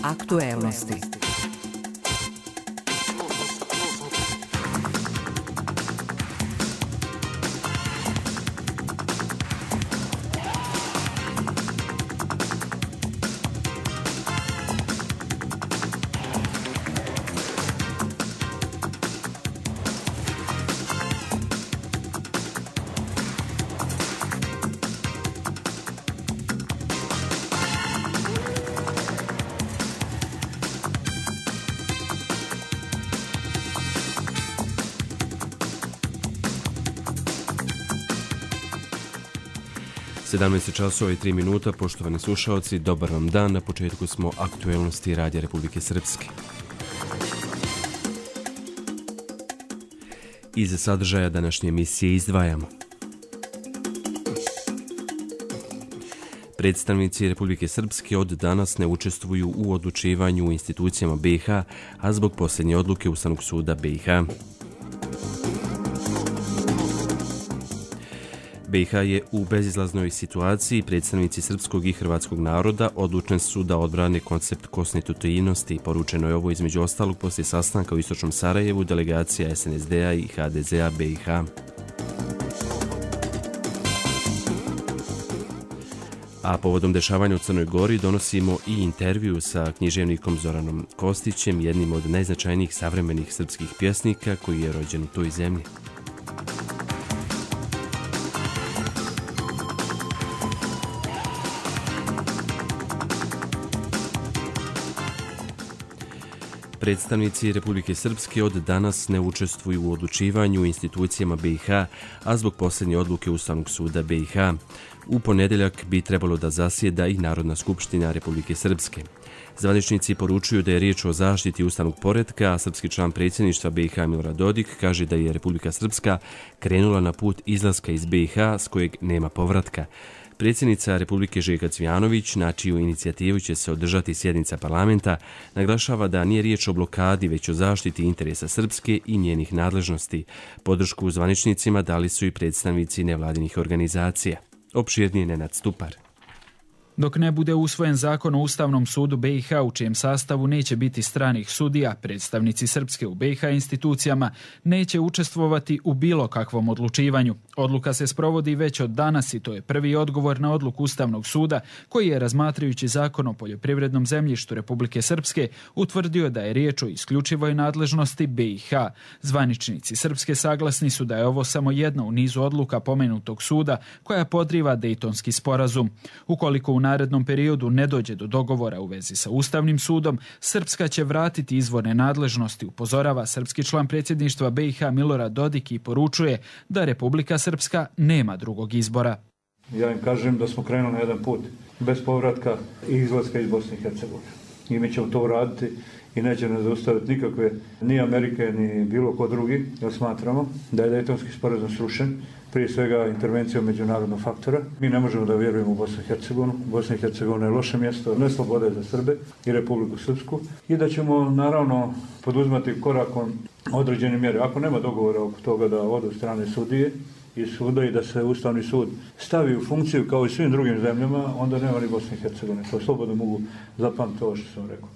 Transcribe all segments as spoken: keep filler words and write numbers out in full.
Aktuelnosti. sedamnaest časova i tri minuta, poštovani slušaoci, dobar vam dan. Na početku smo aktuelnosti Radija Republike Srpske. Iz sadržaja današnje emisije izdvajamo: predstavnici Republike Srpske od danas ne učestvuju u odlučivanju u institucijama B i H, a zbog posljednje odluke Ustavnog suda B i H. B i H je u bezizlaznoj situaciji. Predstavnici srpskog i hrvatskog naroda odlučni su da odbrane koncept konstitutivnosti. Poručeno je ovo između ostalog poslije sastanka u istočnom Sarajevu delegacija S N S D-a i H D Z-a B i H. A povodom dešavanja u Crnoj Gori donosimo i intervju sa književnikom Zoranom Kostićem, jednim od najznačajnijih savremenih srpskih pjesnika koji je rođen u toj zemlji. Predstavnici Republike Srpske od danas ne učestvuju u odlučivanju u institucijama B i H, a zbog posljednje odluke Ustavnog suda B i H. U ponedjeljak bi trebalo da zasjeda i Narodna skupština Republike Srpske. Zvaničnici poručuju da je riječ o zaštiti ustavnog poretka, a srpski član predsjedništva B i H Milorad Dodik kaže da je Republika Srpska krenula na put izlaska iz B i H s kojeg nema povratka. Predsjednica Republike Željka Cvijanović, na čiju inicijativu će se održati sjednica parlamenta, naglašava da nije riječ o blokadi, već o zaštiti interesa Srpske i njenih nadležnosti. Podršku zvaničnicima dali su i predstavnici nevladinih organizacija. Opširnije Nenad Stupar. Dok ne bude usvojen zakon o Ustavnom sudu B i H u čijem sastavu neće biti stranih sudija, predstavnici Srpske u B i H institucijama neće učestvovati u bilo kakvom odlučivanju. Odluka se sprovodi već od danas i to je prvi odgovor na odluku Ustavnog suda koji je, razmatrajući zakon o poljoprivrednom zemljištu Republike Srpske, utvrdio da je riječ o isključivoj nadležnosti B i H. Zvaničnici Srpske saglasni su da je ovo samo jedna u nizu odluka pomenutog suda koja podriva Dejtonski sporazum. Ukoliko u narednom periodu ne dođe do dogovora u vezi sa Ustavnim sudom, Srpska će vratiti izvorne nadležnosti, upozorava srpski član predsjedništva B i H Milorad Dodik i poručuje da Republika Srpska nema drugog izbora. Ja im kažem da smo krenuli na jedan put bez povratka i izlaska iz Bosne i Hercegovine. I mi ćemo to uraditi i neće nas zaustaviti nikakve ni Amerike ni bilo ko drugi, jer smatramo da je Dejtonski sporazum srušen, prije svega intervencijom međunarodnog faktora. Mi ne možemo da vjerujemo u Bosnu i Hercegovinu. Bosna i Hercegovina je loše mjesto, ne slobode za Srbe i Republiku Srpsku. I da ćemo naravno poduzmati korakom određene mjere. Ako nema dogovora oko toga da odu strane sudije i suda i da se Ustavni sud stavi u funkciju kao i svim drugim zemljama, onda nema ni Bosne i Hercegovine. To slobodno mogu zapamtiti ovo što sam rekao.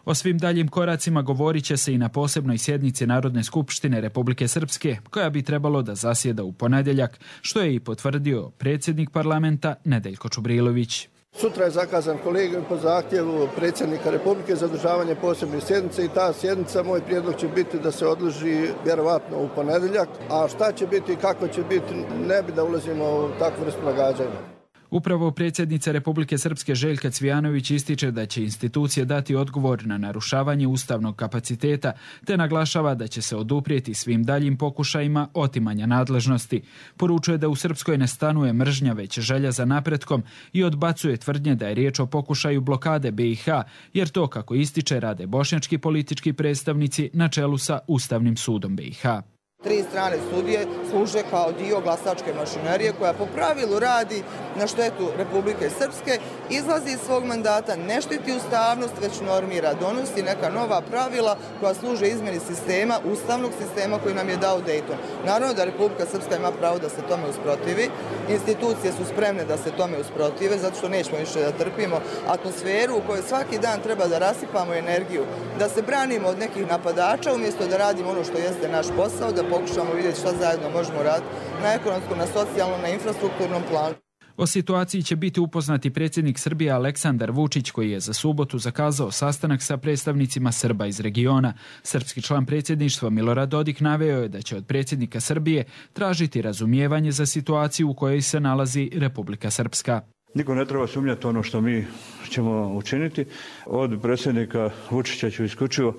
O svim daljim koracima govorit će se i na posebnoj sjednici Narodne skupštine Republike Srpske, koja bi trebalo da zasjeda u ponedjeljak, što je i potvrdio predsjednik parlamenta Nedeljko Čubrilović. Sutra je zakazan kolegijum po zahtjevu predsjednika Republike za održavanje posebne sjednice i ta sjednica, moj prijedlog će biti da se odloži vjerovatno u ponedjeljak, a šta će biti i kako će biti, ne bi da ulazimo u takvu vrstu nagađanja. Upravo predsjednica Republike Srpske Željka Cvijanović ističe da će institucije dati odgovor na narušavanje ustavnog kapaciteta, te naglašava da će se oduprijeti svim daljim pokušajima otimanja nadležnosti. Poručuje da u Srpskoj ne stanuje mržnja, već želja za napretkom i odbacuje tvrdnje da je riječ o pokušaju blokade B i H, jer to, kako ističe, rade bošnjački politički predstavnici na čelu sa Ustavnim sudom B i H. Tri strane sudije služe kao dio glasačke mašinerije koja po pravilu radi na štetu Republike Srpske, izlazi iz svog mandata, ne štiti ustavnost, već normira, donosi neka nova pravila koja služe izmjeni sistema, ustavnog sistema koji nam je dao Dayton. Naravno da Republika Srpska ima pravo da se tome usprotivi, institucije su spremne da se tome usprotive, zato što nećemo više da trpimo atmosferu u kojoj svaki dan treba da rasipamo energiju, da se branimo od nekih napadača umjesto da radimo ono što jeste naš posao, da pokušamo vidjeti šta zajedno možemo raditi na ekonomskom, na socijalnom, na infrastrukturnom planu. O situaciji će biti upoznati predsjednik Srbije Aleksandar Vučić, koji je za subotu zakazao sastanak sa predstavnicima Srba iz regiona. Srpski član predsjedništva Milorad Dodik naveo je da će od predsjednika Srbije tražiti razumijevanje za situaciju u kojoj se nalazi Republika Srpska. Niko ne treba sumnjati ono što mi ćemo učiniti. Od predsjednika Vučića ću isključivo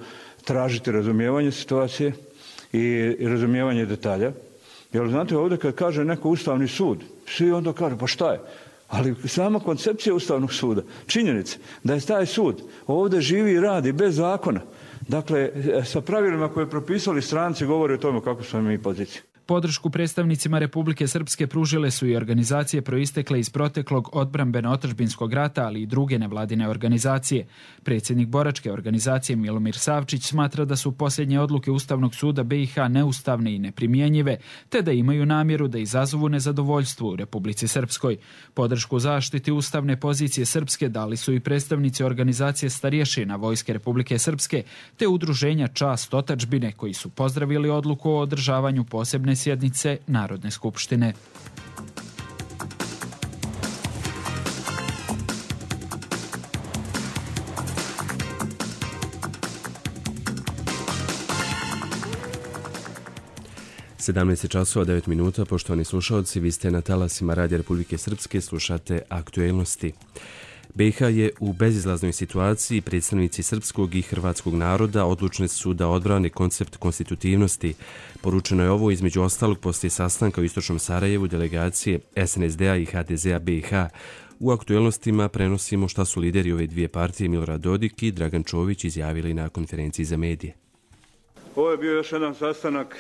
tražiti razumijevanje situacije i razumijevanje detalja. Jer znate, ovdje kad kaže neko Ustavni sud, svi onda kažu pa šta je? Ali sama koncepcija Ustavnog suda, činjenica da je taj sud ovdje živi i radi bez zakona, dakle sa pravilima koje propisali stranci govori o tome kako smo mi poziciji. Podršku predstavnicima Republike Srpske pružile su i organizacije proistekle iz proteklog odbrambeno-otadžbinskog rata, ali i druge nevladine organizacije. Predsjednik boračke organizacije Milomir Savčić smatra da su posljednje odluke Ustavnog suda B i H neustavne i neprimjenjive, te da imaju namjeru da izazovu nezadovoljstvo u Republici Srpskoj. Podršku zaštiti ustavne pozicije Srpske dali su i predstavnici organizacije starješina Vojske Republike Srpske, te udruženja Čast otadžbine, koji su pozdravili odluku o održavanju posebne sjednice Narodne skupštine. sedamnaest časova devet minuta, poštovani slušalci, vi ste na talasima Radija Republike Srpske, slušate aktuelnosti. B i H je u bezizlaznoj situaciji, predstavnici srpskog i hrvatskog naroda odlučni su da odbrane koncept konstitutivnosti. Poručeno je ovo između ostalog poslije sastanka u Istočnom Sarajevu delegacije S N S D-a i H D Z-a B i H. U aktuelnostima prenosimo šta su lideri ove dvije partije Milorad Dodik i Dragan Čović izjavili na konferenciji za medije. Ovo je bio još jedan sastanak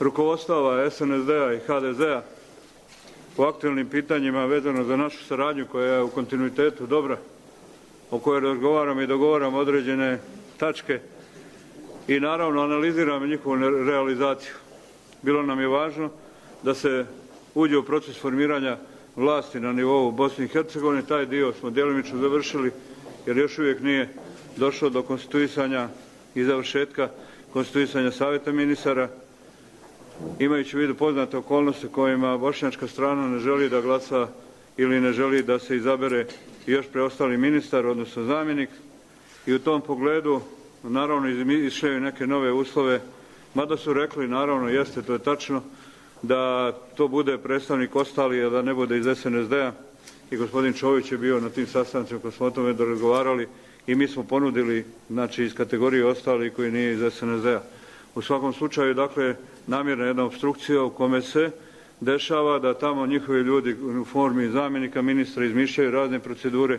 rukovodstava S N S D-a i H D Z-a po aktualnim pitanjima vezano za našu saradnju koja je u kontinuitetu dobra, o kojoj razgovaramo i dogovaramo određene tačke i naravno analiziramo njihovu realizaciju. Bilo nam je važno da se uđe u proces formiranja vlasti na nivou Bosne i Hercegovine. Taj dio smo djelomično završili jer još uvijek nije došlo do konstituisanja i završetka konstituisanja savjeta ministara, imajući u vidu poznate okolnosti kojima bošnjačka strana ne želi da glasa ili ne želi da se izabere još preostali ministar, odnosno zamjenik. I u tom pogledu naravno išle neke nove uslove, mada su rekli, naravno jeste, to je tačno, da to bude predstavnik ostali, a da ne bude iz S N S D-a. I gospodin Čović je bio na tim sastancima koji smo o tome razgovarali i mi smo ponudili, znači, iz kategorije ostali koji nije iz S N S D-a. U svakom slučaju, dakle, namjerna jedna obstrukcija u kome se dešava da tamo njihovi ljudi u formi zamjenika ministra izmišljaju razne procedure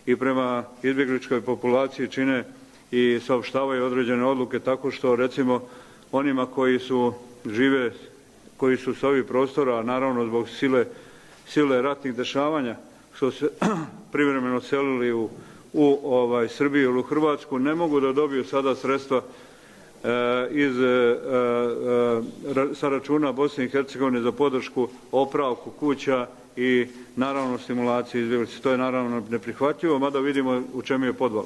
i prema izbjegličkoj populaciji čine i saopštavaju određene odluke tako što, recimo, onima koji su žive, koji su s ovih prostora, a naravno zbog sile, sile ratnih dešavanja, što se privremeno selili u, u ovaj, Srbiju ili u Hrvatsku, ne mogu da dobiju sada sredstva iz, e, e, sa računa Bosne i Hercegovine za podršku opravku kuća i naravno stimulaciju izbjeglica. To je naravno neprihvatljivo, mada vidimo u čemu je podval.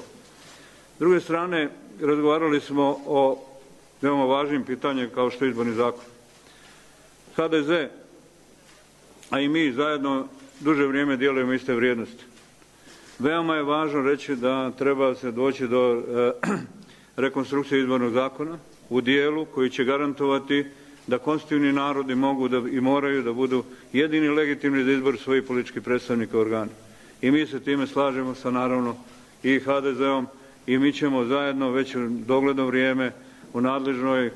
S druge strane, razgovarali smo o veoma važnim pitanjem kao što je izborni zakon. H D Z, a i mi zajedno duže vrijeme dijelimo iste vrijednosti. Veoma je važno reći da treba se doći do e, rekonstrukcije izbornog zakona u dijelu koji će garantovati da konstitutivni narodi mogu da, i moraju da budu jedini legitimni za izbor svojih političkih predstavnika organa. I mi se time slažemo sa naravno i H D Z-om i mi ćemo zajedno već u dogledno vrijeme u nadležnoj, eh,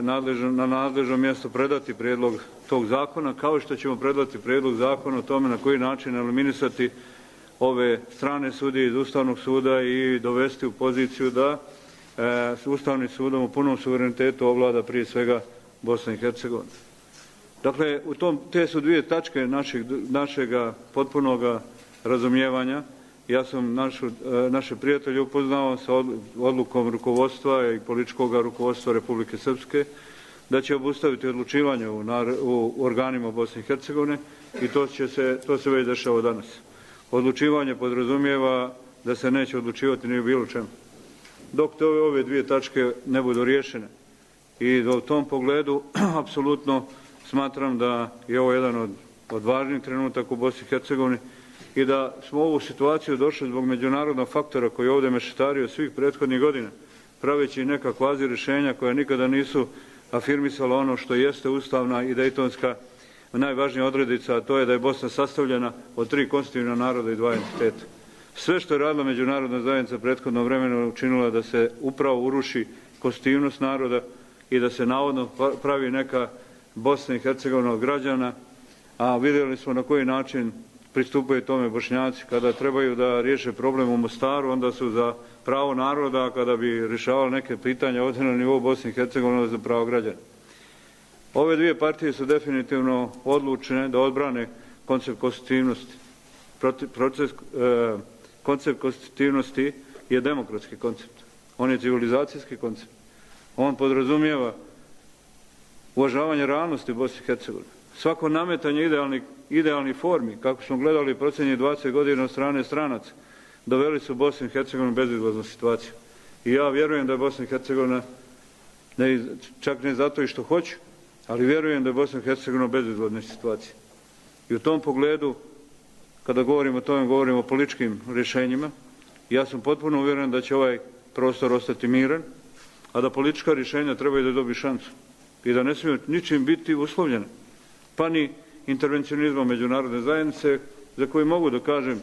nadležno, na nadležnom mjestu predati prijedlog tog zakona, kao što ćemo predati prijedlog zakona o tome na koji način eliminisati ove strane sudije iz Ustavnog suda i dovesti u poziciju da s Ustavnim sudom u punom suverenitetu ovlada prije svega Bosna i Hercegovina. Dakle, u tom, te su dvije tačke našeg, našega potpunoga razumijevanja. Ja sam našu, naše prijatelje upoznao sa odlukom rukovodstva i političkog rukovodstva Republike Srpske da će obustaviti odlučivanje u, u organima Bosne i Hercegovine i to, će se, to se već dešava danas. Odlučivanje podrazumijeva da se neće odlučivati ni u bilo čemu. Dok te ove, ove dvije tačke ne budu riješene. I u tom pogledu apsolutno smatram da je ovo jedan od, od važnijih trenutaka u Bosni i Hercegovini i da smo u ovu situaciju došli zbog međunarodnog faktora koji je ovdje mešetario svih prethodnih godina, praveći neka kvazi rješenja koja nikada nisu afirmisala ono što jeste ustavna i dejtonska najvažnija odrednica, a to je da je Bosna sastavljena od tri konstitutivna naroda i dva entiteta. Sve što je radila međunarodna zajednica prethodno vremena učinila da se upravo uruši konstitutivnost naroda i da se navodno pravi neka Bosna i Hercegovina od građana, a vidjeli smo na koji način pristupaju tome Bošnjaci. Kada trebaju da riješe problem u Mostaru, onda su za pravo naroda, a kada bi rješavali neke pitanja ovdje na nivou Bosne i Hercegovine za pravo građana. Ove dvije partije su definitivno odlučene da odbrane koncept konstitutivnosti. Proces, e, koncept konstitutivnosti je demokratski koncept. On je civilizacijski koncept. On podrazumijeva uvažavanje realnosti Bosne i Hercegovine. Svako nametanje idealnih, idealnih formi, kako smo gledali posljednjih dvadeset godina od strane stranaca, doveli su Bosnu i Hercegovinu u bezizlaznu situaciju. I ja vjerujem da je Bosna i Hercegovina, ne, čak ne zato i što hoću, ali vjerujem da je Bosna i Hercegovina u bezizlaznoj situaciji. I u tom pogledu, kada govorimo o tome, govorimo o političkim rješenjima, ja sam potpuno uvjeren da će ovaj prostor ostati miran, a da politička rješenja trebaju da dobiju šansu i da ne smiju ničim biti uslovljene, pa ni intervencionizmom međunarodne zajednice, za koje mogu da kažem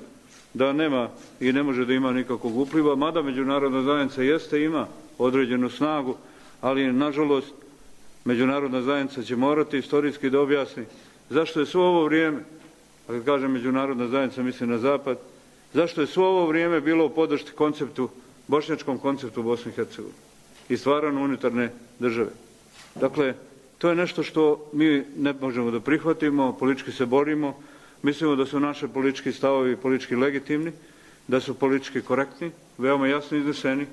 da nema i ne može da ima nikakvog upliva, mada međunarodna zajednica jeste, ima određenu snagu, ali nažalost međunarodna zajednica će morati istorijski da objasni zašto je svo ovo vrijeme, a kad kažem međunarodna zajednica mislim na zapad, zašto je svo ovo vrijeme bilo u podršci konceptu, bošnjačkom konceptu Bosne i Hercegovine i stvaranju unitarne države. Dakle, to je nešto što mi ne možemo da prihvatimo, politički se borimo, mislimo da su naše politički stavovi politički legitimni, da su politički korektni, veoma jasno izneseni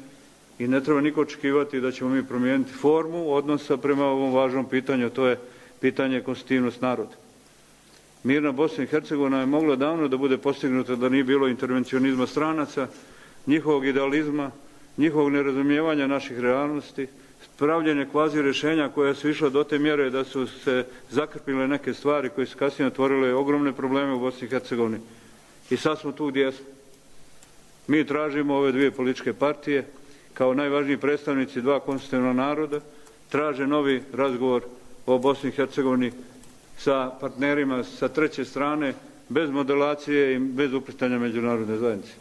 i ne treba niko očekivati da ćemo mi promijeniti formu odnosa prema ovom važnom pitanju, to je pitanje konstitutivnost naroda. Mirna Bosna i Hercegovina je mogla davno da bude postignuta da nije bilo intervencionizma stranaca, njihovog idealizma, njihovog nerazumijevanja naših realnosti, pravljenje kvazi rješenja koja su išla do te mjere da su se zakrpile neke stvari koje su kasnije otvorile ogromne probleme u Bosni i Hercegovini. I sad smo tu gdje smo. Mi tražimo ove dvije političke partije kao najvažniji predstavnici dva konstitutivna naroda, traže novi razgovor o Bosni i Hercegovini sa partnerima sa treće strane, bez modelacije i bez uplitanja međunarodne zajednice.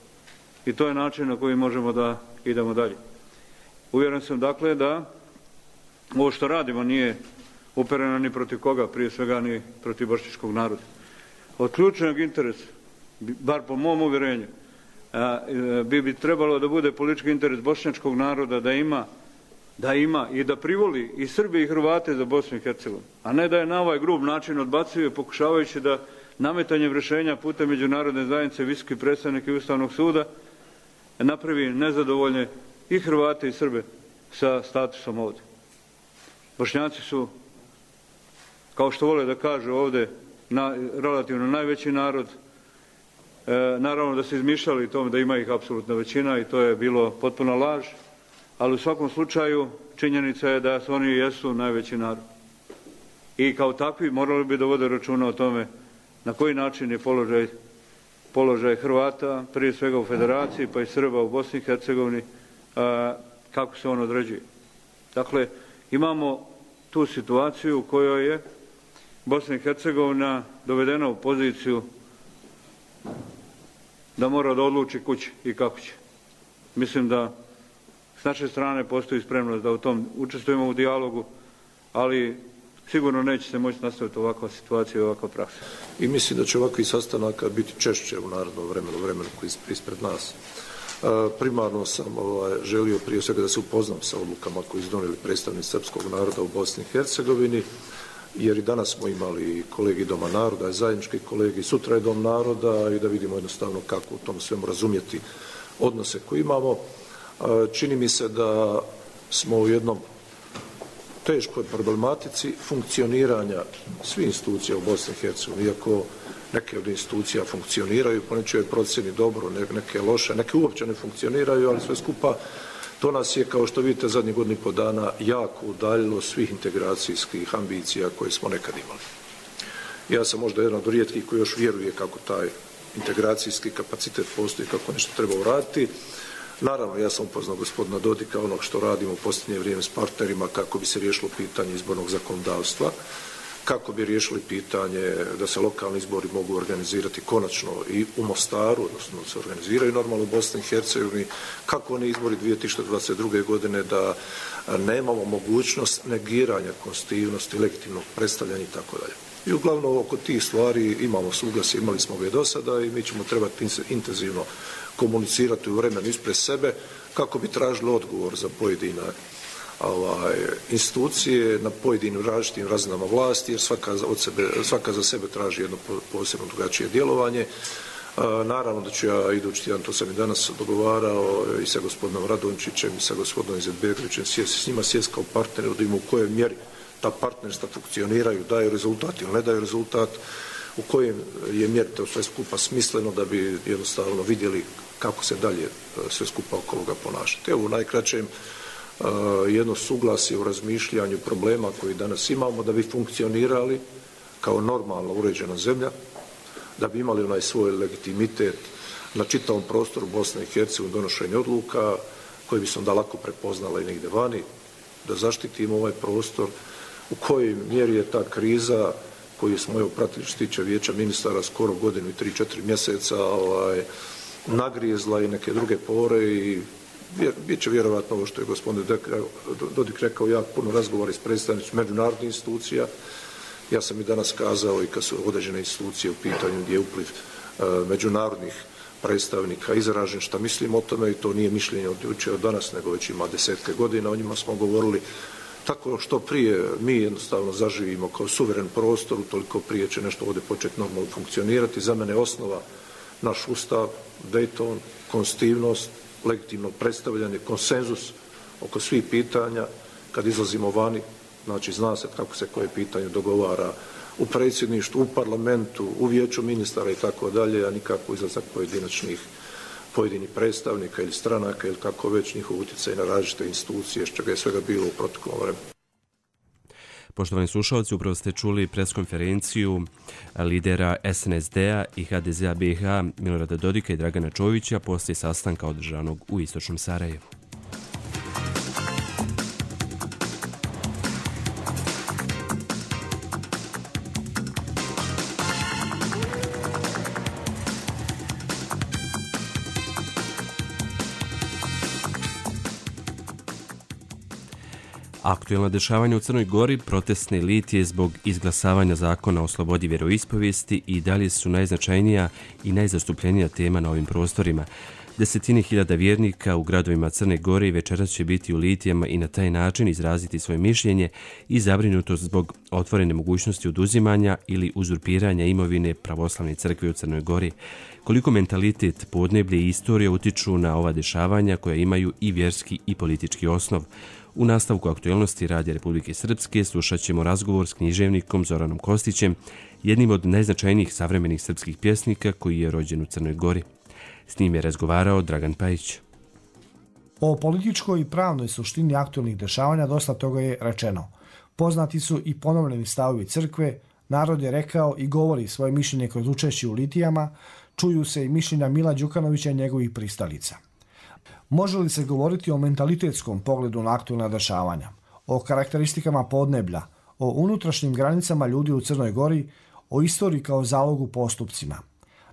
I to je način na koji možemo da idemo dalje. Uvjeren sam dakle da ovo što radimo nije upereno ni protiv koga, prije svega ni protiv bošnjačkog naroda. Od ključnog interesa, bar po mom uvjerenju, bi bi trebalo da bude politički interes bošnjačkog naroda da ima, da ima i da privoli i Srbi i Hrvate za Bosnu i Hercegovinu, a ne da je na ovaj grub način odbacuje pokušavajući da nametanjem rješenja putem međunarodne zajednice, visoki predstavnik i Ustavnog suda napravi nezadovoljne i Hrvate i Srbe sa statusom ovdje. Bošnjaci su, kao što vole da kažu ovdje, na, relativno najveći narod. E, naravno da se izmišljali tome da ima ih apsolutna većina i to je bilo potpuna laž, ali u svakom slučaju činjenica je da su oni jesu najveći narod. I kao takvi morali bi da vode računa o tome na koji način je položaj, položaj Hrvata, prije svega u Federaciji, pa i Srba u Bosni i Hercegovini, a, kako se on određuje. Dakle, imamo tu situaciju u kojoj je Bosna i Hercegovina dovedena u poziciju da mora da odluči kući i kako će. Mislim da s naše strane postoji spremnost da u tom učestvujemo u dijalogu, ali sigurno neće se moći nastaviti ovakva situacija i ovakva praksa. I mislim da će ovakvi sastanaka biti češće u narednom vremenu, vremenu koji je ispred nas. Primarno sam ovaj, želio prije svega da se upoznam sa odlukama koje su donijeli predstavnici srpskog naroda u Bosni i Hercegovini, jer i danas smo imali kolegi Doma naroda, zajednički kolegi, sutra je Dom naroda i da vidimo jednostavno kako u tom svemu razumjeti odnose koje imamo. Čini mi se da smo u jednom teškoj problematici funkcioniranja svih institucija u Bosni i Hercegovini, iako neke od institucija funkcioniraju, po nečijoj procjeni dobro, neke loše, neke uopće ne funkcioniraju, ali sve skupa to nas je, kao što vidite, zadnjih godinu i po dana jako udaljilo svih integracijskih ambicija koje smo nekad imali. Ja sam možda jedan od rijetkih koji još vjeruje kako taj integracijski kapacitet postoji, kako nešto treba uraditi. Naravno, ja sam upoznao gospodina Dodika, onog što radimo u posljednje vrijeme s partnerima kako bi se riješilo pitanje izbornog zakonodavstva, kako bi riješili pitanje da se lokalni izbori mogu organizirati konačno i u Mostaru, odnosno da se organiziraju normalno u Bosni i Hercegovini, kako oni izbori dvije tisuće dvadeset druge. godine da nemamo mogućnost negiranja konstitutivnosti, legitimnog predstavljanja i tako dalje. I uglavnom oko tih stvari imamo suglasje, imali smo ga i do sada i mi ćemo trebati intenzivno komunicirati u vremenu ispred sebe kako bi tražili odgovor za pojedine ovaj, institucije na pojedinim različitim razinama vlasti, jer svaka, od sebe, svaka za sebe traži jedno posebno drugačije djelovanje. Naravno da ću ja idući tjedan, to sam i danas dogovarao i sa gospodinom Radončićem i sa gospodinom Izetbegovićem, sjesti s njima, sjesti kao partneri, da ima u kojoj mjeri ta partnerstva funkcioniraju, daju rezultat ili ne daju rezultat, u kojem je mjeri to sve skupa smisleno da bi jednostavno vidjeli kako se dalje sve skupa oko ovoga ponašati. Evo u najkraćem jedno suglasje u razmišljanju problema koji danas imamo da bi funkcionirali kao normalno uređena zemlja, da bi imali onaj svoj legitimitet na čitavom prostoru Bosne i Hercegovine donošenje odluka koje bi se onda lako prepoznala i negdje vani, da zaštitimo ovaj prostor, u kojoj mjeri je ta kriza koju smo evo pratili što se tiče vijeća ministara skoro godinu i tri, četiri mjeseca ovaj, nagrizla i neke druge pore i bit će vjerovatno ovo što je gospodin Dodik rekao, jako puno razgovora s predstavnicima međunarodnih institucija. Ja sam i danas kazao i kad su određene institucije u pitanju gdje je upliv uh, međunarodnih predstavnika izražen šta mislim o tome i to nije mišljenje od jučer od danas, nego već ima desetke godina, o njima smo govorili. Tako što prije mi jednostavno zaživimo kao suveren prostor, toliko prije će nešto ovdje početi normalno funkcionirati. Za mene je osnova naš ustav, Dayton, konstitutivnost, legitimno predstavljanje, konsenzus oko svih pitanja. Kad izlazimo vani, znači zna se kako se koje pitanje dogovara u predsjedništvu, u parlamentu, u vijeću ministara i tako dalje, a nikako izlazak pojedinačnih pojedinih predstavnika ili stranaka ili kako već njihov utjecaj na različite institucije, što ga je svega bilo u proteklom vremenu. Poštovani slušalci, upravo ste čuli preskonferenciju lidera S N S D-a i H D Z-a B i H Milorada Dodika i Dragana Čovića poslije sastanka održanog u istočnom Sarajevu. Aktuelna dešavanja u Crnoj Gori, protestne litije zbog izglasavanja zakona o slobodi vjeroispovijesti i dalje su najznačajnija i najzastupljenija tema na ovim prostorima. Desetine hiljada vjernika u gradovima Crne Gore večeras će biti u litijama i na taj način izraziti svoje mišljenje i zabrinutost zbog otvorene mogućnosti oduzimanja ili uzurpiranja imovine pravoslavne crkve u Crnoj Gori. Koliko mentalitet, podneblje i istorija utiču na ova dešavanja koja imaju i vjerski i politički osnov. U nastavku aktualnosti Radija Republike Srpske slušat ćemo razgovor s književnikom Zoranom Kostićem, jednim od najznačajnijih savremenih srpskih pjesnika koji je rođen u Crnoj Gori. S njim je razgovarao Dragan Pajić. O političkoj i pravnoj suštini aktualnih dešavanja dosta toga je rečeno. Poznati su i ponovljeni stavovi crkve, narod je rekao i govori svoje mišljenje kroz učešće u litijama, čuju se i mišljenja Mila Đukanovića i njegovih pristalica. Može li se govoriti o mentalitetskom pogledu na aktualna dešavanja, o karakteristikama podneblja, o unutrašnjim granicama ljudi u Crnoj Gori, o istoriji kao zalogu postupcima?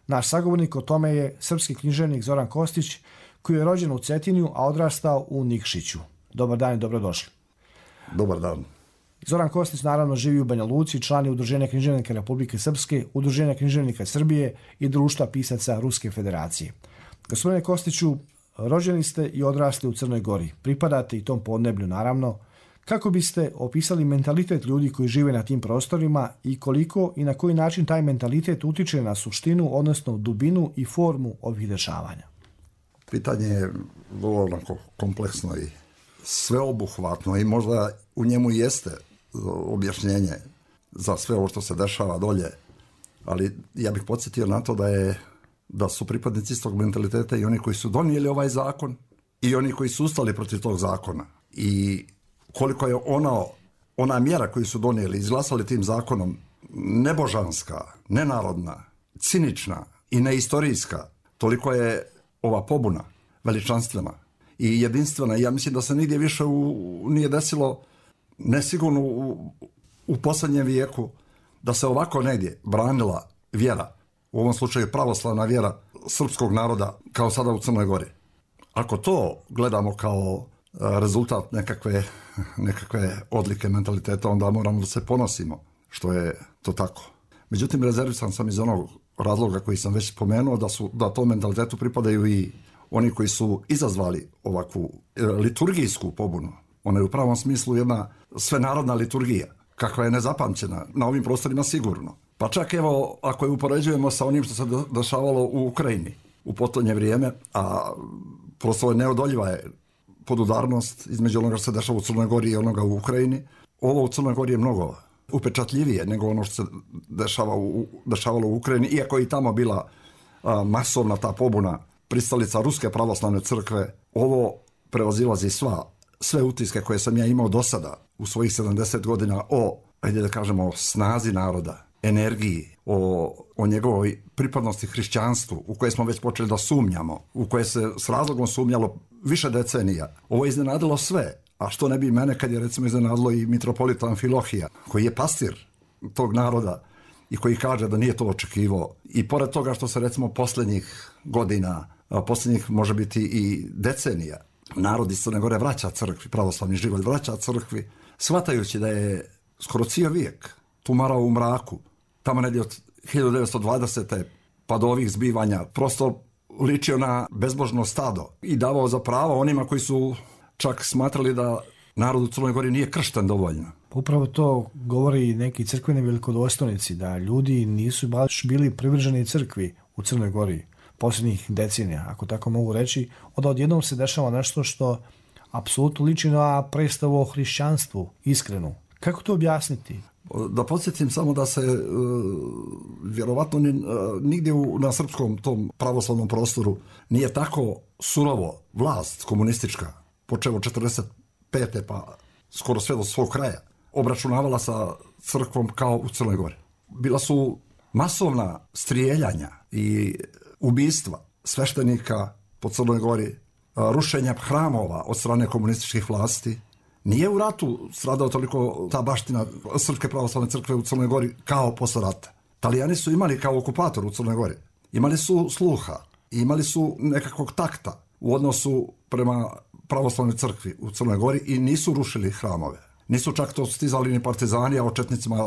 Naš sagovornik o tome je srpski književnik Zoran Kostić, koji je rođen u Cetinju, a odrastao u Nikšiću. Dobar dan i dobrodošli. Dobar dan. Zoran Kostić naravno živi u Banja Luci, član je Udruženja književnika Republike Srpske, Udruženja književnika Srbije i Društva pisaca Ruske federacije. Gospodine Kostiću, rođeni ste i odrasli u Crnoj Gori. Pripadate i tom podneblju, naravno. Kako biste opisali mentalitet ljudi koji žive na tim prostorima i koliko i na koji način taj mentalitet utiče na suštinu, odnosno dubinu i formu ovih dešavanja? Pitanje je vrlo onako kompleksno i sveobuhvatno i možda u njemu jeste objašnjenje za sve ovo što se dešava dolje, ali ja bih podsjetio na to da je da su pripadnici istog mentaliteta i oni koji su donijeli ovaj zakon i oni koji su ustali protiv tog zakona. I koliko je ono, ona mjera koju su donijeli, izglasali tim zakonom, nebožanska, nenarodna, cinična i neistorijska, toliko je ova pobuna veličanstvena i jedinstvena. I ja mislim da se nigdje više u, nije desilo, nesigurno u, u posljednjem vijeku, da se ovako negdje branila vjera, u ovom slučaju pravoslavna vjera srpskog naroda, kao sada u Crnoj Gori. Ako to gledamo kao rezultat nekakve, nekakve odlike mentaliteta, onda moramo da se ponosimo što je to tako. Međutim, rezervisan sam iz onog razloga koji sam već spomenuo, da, su, da tom mentalitetu pripadaju i oni koji su izazvali ovakvu liturgijsku pobunu. Ona je u pravom smislu jedna svenarodna liturgija, kakva je nezapamćena na ovim prostorima sigurno. Pa čak evo, ako je upoređujemo sa onim što se dešavalo u Ukrajini u potonje vrijeme, a prosto je neodoljiva je podudarnost između onoga što se dešava u Crnoj Gori i onoga u Ukrajini. Ovo u Crnoj Gori je mnogo upečatljivije nego ono što se dešava u, dešavalo u Ukrajini, iako je i tamo bila a, masovna ta pobuna pristalica Ruske pravoslavne crkve. Ovo prevazilazi sva, sve utiske koje sam ja imao do sada u svojih sedamdeset godina o, ajde da kažemo, o snazi naroda, energiji, o, o njegovoj pripadnosti hrišćanstvu, u koje smo već počeli da sumnjamo, u koje se s razlogom sumnjalo više decenija. Ovo je iznenadilo sve, a što ne bi mene kad je recimo iznenadilo i mitropolita Amfilohija, koji je pastir tog naroda i koji kaže da nije to očekivao. I pored toga što se recimo posljednjih godina, posljednjih može biti i decenija, narod iz Crne Gore vraća crkvi, pravoslavni život vraća crkvi, shvatajući da je skoro cijel vijek tumarao u mraku, tamo negdje od hiljadu devetsto dvadesete pa do ovih zbivanja, prosto ličio na bezbožno stado i davao za pravo onima koji su čak smatrali da narod u Crnoj Gori nije kršten dovoljno. Upravo to govori i neki crkveni velikodostojnici, da ljudi nisu baš bili privrženi crkvi u Crnoj Gori posljednjih decenija, ako tako mogu reći, onda odjednom se dešava nešto što apsolutno liči na predstavu o hrišćanstvu, iskrenu. Kako to objasniti? Da podsjetim samo da se e, vjerovatno ni, e, nigdje u, na srpskom tom pravoslavnom prostoru nije tako surovo vlast komunistička, počevo četrdeset pete pa skoro sve do svog kraja, obračunavala sa crkvom kao u Crnoj Gori. Bila su masovna strijeljanja i ubistva sveštenika po Crnoj Gori, rušenja hramova od strane komunističkih vlasti. Nije u ratu stradao toliko ta baština Srpske pravoslavne crkve u Crnoj Gori kao posle rata. Talijani su imali kao okupator u Crnoj Gori. Imali su sluha, imali su nekakvog takta u odnosu prema pravoslavnoj crkvi u Crnoj Gori i nisu rušili hramove. Nisu čak to stizali ni partizani, a o četnicima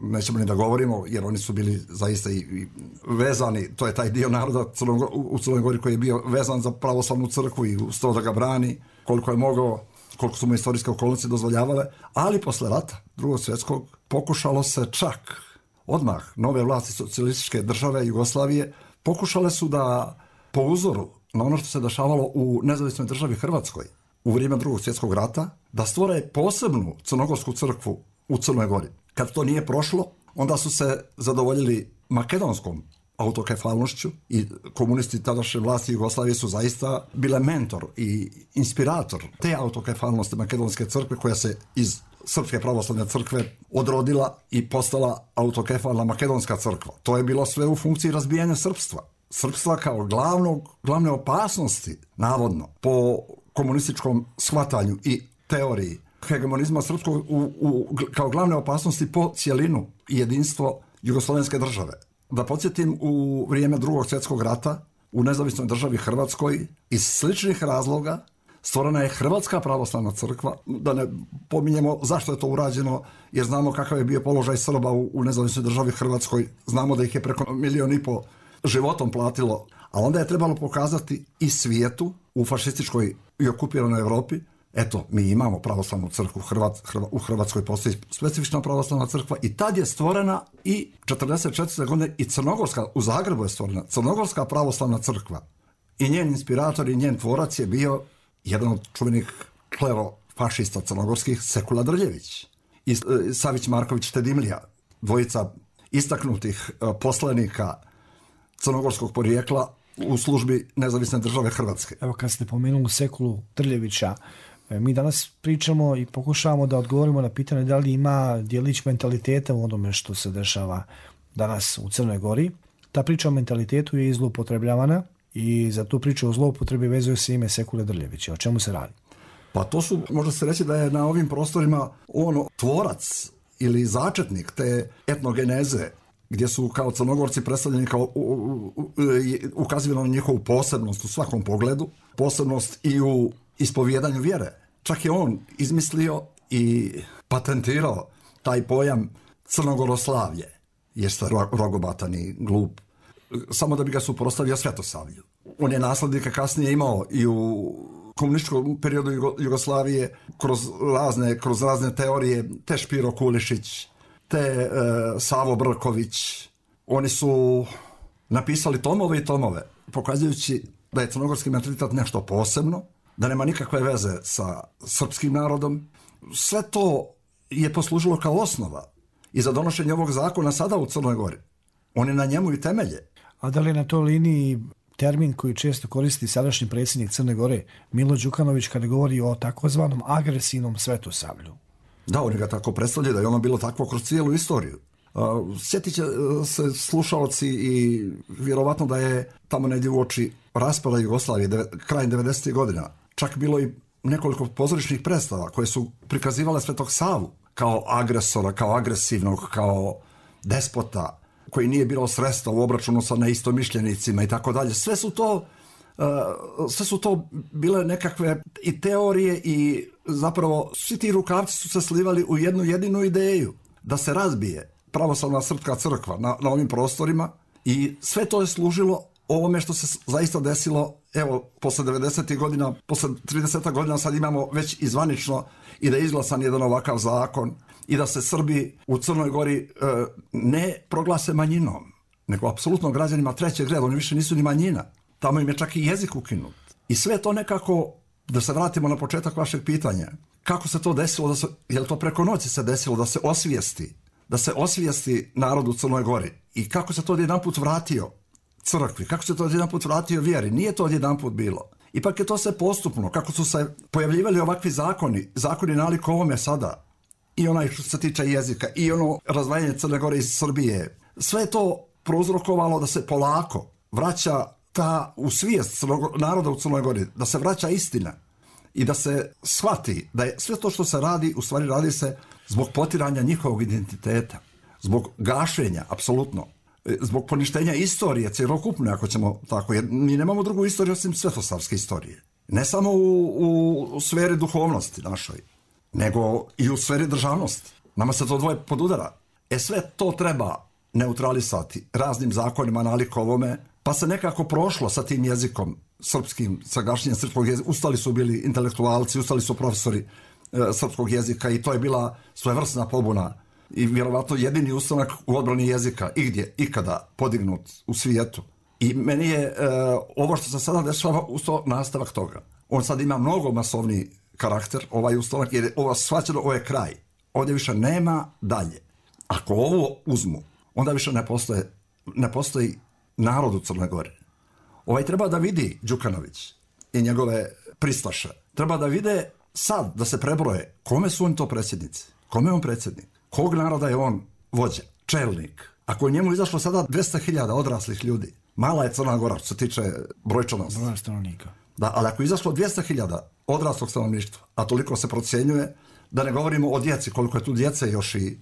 nećemo ni da govorimo, jer oni su bili zaista i, i vezani, to je taj dio naroda Crnog, u Crnoj Gori koji je bio vezan za pravoslavnu crkvu i sto da ga brani koliko je mogao, koliko su mu istorijske okolnosti dozvoljavale, ali posle rata drugog svjetskog pokušalo se čak odmah nove vlasti socijalističke države Jugoslavije pokušale su da po uzoru na ono što se dešavalo u nezavisnoj državi Hrvatskoj u vrijeme drugog svjetskog rata, da stvore posebnu crnogorsku crkvu u Crnoj Gori. Kad to nije prošlo, onda su se zadovoljili makedonskom autokefalnošću i komunisti tadašnje vlasti Jugoslavije su zaista bile mentor i inspirator te autokefalnosti makedonske crkve koja se iz Srpske pravoslavne crkve odrodila i postala autokefalna makedonska crkva. To je bilo sve u funkciji razbijanja srpstva. Srpstva kao glavnog, glavne opasnosti, navodno, po komunističkom shvatanju i teoriji hegemonizma srpskog u, u, kao glavne opasnosti po cijelinu i jedinstvo jugoslovenske države. Da podsjetim, u vrijeme drugog svjetskog rata u nezavisnoj državi Hrvatskoj iz sličnih razloga stvorena je Hrvatska pravoslavna crkva, da ne pominjemo zašto je to urađeno, jer znamo kakav je bio položaj Srba u, u nezavisnoj državi Hrvatskoj, znamo da ih je preko milijon i po životom platilo, a onda je trebalo pokazati i svijetu u fašističkoj i okupiranoj Europi, eto, mi imamo pravoslavnu crkvu, Hrvat, Hrva, u Hrvatskoj postoji specifična pravoslavna crkva i tad je stvorena i četrdeset četvrte godine i Crnogorska, u Zagrebu je stvorena Crnogorska pravoslavna crkva i njen inspirator i njen tvorac je bio jedan od čuvenih klerofašista crnogorskih, Sekula Drljević i Savić Marković Tedimlija, dvojica istaknutih poslanika crnogorskog porijekla u službi Nezavisne države Hrvatske. Evo, kad ste pomenuli Sekulu Drljevića, mi danas pričamo i pokušavamo da odgovorimo na pitanje da li ima djelić mentaliteta u onome što se dešava danas u Crnoj Gori. Ta priča o mentalitetu je zloupotrebljavana i za tu priču o zloupotrebi vezuje se ime Sekule Drljevića. O čemu se radi? Pa to su, može se reći da je na ovim prostorima on tvorac ili začetnik te etnogeneze, gdje su kao Crnogorci predstavljeni kao ukazivano na njihovu posebnost u svakom pogledu, posebnost i u ispovjedanju vjere. Čak je on izmislio i patentirao taj pojam Crnogoroslavlje, jeste rogobatan i glup, samo da bi ga suprotstavio Svetosavlju. On je naslednike kasnije imao i u komunističkom periodu Jugoslavije kroz razne, kroz razne teorije, te Špiro Kulišić, te e, Savo Brković. Oni su napisali tomove i tomove, pokazujući da je crnogorski mentalitet nešto posebno, da nema nikakve veze sa srpskim narodom. Sve to je poslužilo kao osnova i za donošenje ovog zakona sada u Crnoj Gori. On je na njemu i temelje. A da li je na toj liniji termin koji često koristi sadašnji predsjednik Crne Gore, Milo Đukanović, kada govori o takozvanom agresivnom Svetosavlju? Da, oni ga tako predstavljaju, da je ono bilo takvo kroz cijelu istoriju. Sjetit će se slušalci i vjerovatno da je tamo negdje u oči raspada Jugoslavije, krajem devedesetih godina, čak bilo i nekoliko pozorišnih predstava koje su prikazivale Svetog Savu kao agresora, kao agresivnog, kao despota, koji nije bilo sredstva u obračunu sa neistomišljenicima i tako dalje. Sve su to Uh, sve su to bile nekakve i teorije i zapravo svi ti rukavci su se slivali u jednu jedinu ideju da se razbije pravoslavna srpska crkva na, na ovim prostorima i sve to je služilo ovome što se zaista desilo, evo, posle devedesetih godina, posle trideset godina sad imamo već izvanično i da je izglasan jedan ovakav zakon i da se Srbi u Crnoj Gori uh, ne proglase manjinom, nego apsolutno građanima trećeg reda, oni više nisu ni manjina. Tamo im je čak i jezik ukinut. I sve to nekako, da se vratimo na početak vašeg pitanja, kako se to desilo, da se, je li to preko noći se desilo da se osvijesti, da se osvijesti narod u Crnoj Gori i kako se to odjedanput vratio crkvi, kako se to odjedanput vratio vjeri, nije to odjedanput bilo. Ipak je to sve postupno, kako su se pojavljivali ovakvi zakoni, zakoni nalik ovome sada, i onaj što se tiče jezika, i ono razdvajanje Crne Gore iz Srbije, sve je to prouzrokovalo da se polako vraća ta u svijest crnog, naroda u Crnoj Gori, da se vraća istina i da se shvati da je sve to što se radi, u stvari radi se zbog potiranja njihovog identiteta, zbog gašenja, apsolutno, zbog poništenja istorije, cjelokupne, ako ćemo tako, jer mi nemamo drugu istoriju osim svetosavske istorije. Ne samo u, u, u sferi duhovnosti našoj, nego i u sferi državnosti. Nama se to dvoje podudara. E sve to treba neutralisati raznim zakonima nalik ovome, pa se nekako prošlo sa tim jezikom srpskim, sa gašenjem srpskog jezika. Ustali su bili intelektualci, ustali su profesori e, srpskog jezika i to je bila svojevrsna pobuna i vjerovatno jedini ustanak u odbrani jezika igdje, ikada podignut u svijetu. I meni je e, ovo što se sada dešava usto nastavak toga. On sad ima mnogo masovni karakter, ovaj ustanak, jer je ovo shvaćeno, ovo je kraj. Ovdje više nema dalje. Ako ovo uzmu, onda više ne postoje, ne postoji narod u Crnoj Gori. Ovaj treba da vidi Đukanović i njegove pristaše. Treba da vide sad, da se prebroje kome su oni to predsjednici, kome je on predsjednik, kog naroda je on vođa, čelnik. Ako je njemu izašlo sada dvjesto hiljada odraslih ljudi, mala je Crna Gora što se tiče brojčanosti. Broj stanovnika. Da, ali ako je izašlo dvjesto hiljada odraslog stanovništva, a toliko se procjenjuje, da ne govorimo o djeci, koliko je tu djece još i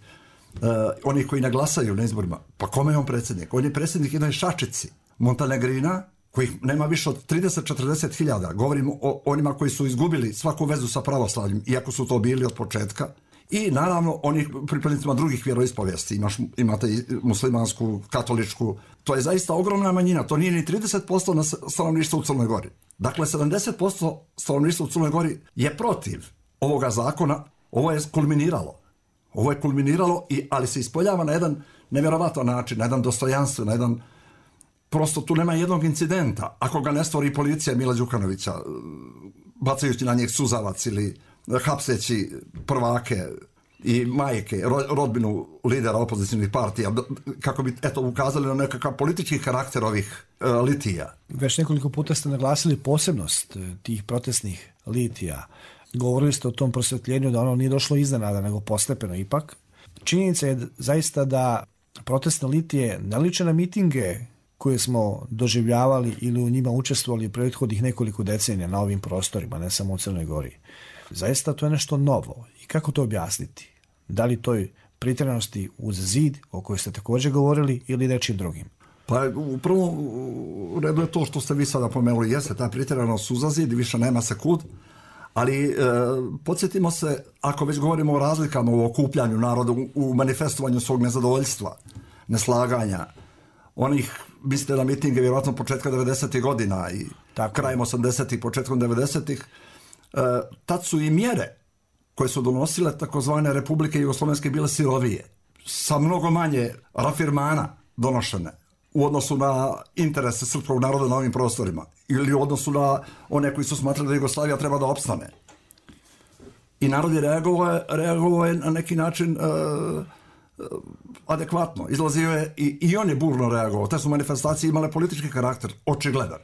Uh, oni koji ne glasaju na izborima, pa kome je on predsjednik? On je predsjednik jednoj šačici Montenegrina, kojih nema više od trideset do četrdeset hiljada. Govorimo o onima koji su izgubili svaku vezu sa pravoslavljem, iako su to bili od početka, i naravno onih pripadnicima drugih vjeroispovijesti. Imaš, imate i muslimansku, katoličku. To je zaista ogromna manjina. To nije ni trideset posto na stanovništva u Crnoj Gori. Dakle, sedamdeset posto stanovništva u Crnoj Gori je protiv ovoga zakona. Ovo je kulminiralo. Ovo je kulminiralo, i, ali se ispoljava na jedan nevjerovatan način, na jedan dostojanstven, na jedan... Prosto tu nema jednog incidenta. Ako ga ne stvori policija Mila Đukanovića, bacajući na njih suzavac ili hapseći prvake i majke, rodbinu lidera opozicijnih partija, kako bi eto ukazali na nekakav politički karakter ovih e, litija. Već nekoliko puta ste naglasili posebnost tih protestnih litija. Govorili ste o tom prosvjetljenju da ono nije došlo iznenada, nego postepeno ipak. Činjenica je zaista da protestne litije ne liče na mitinge koje smo doživljavali ili u njima učestvovali prethodnih nekoliko decenija na ovim prostorima, ne samo u Crnoj Gori. Zaista to je nešto novo. I kako to objasniti? Da li toj pritjeranosti uz zid, o kojoj ste također govorili, ili nečim drugim? Pa u prvom redu je to što ste vi sada pomenuli, jeste ta pritjeranost uz zid, više nema se kud, ali e, podsjetimo se, ako već govorimo o razlikama u okupljanju naroda, u manifestovanju svog nezadovoljstva, neslaganja, onih, mislite na mitinge vjerojatno početka devedesetih godina i tako, krajem osamdesetih, početkom devedesetih, e, tad su i mjere koje su donosile takozvane republike jugoslovenske bile sirovije, sa mnogo manje rafirmana donošene u odnosu na interese srpskog naroda na ovim prostorima ili u odnosu na one koji su smatrali da Jugoslavija treba da opstane. I narod je reagovao, reagovao je na neki način e, adekvatno. Izlazio je i, i on je burno reagovao. Te su manifestacije imale politički karakter, očigledan.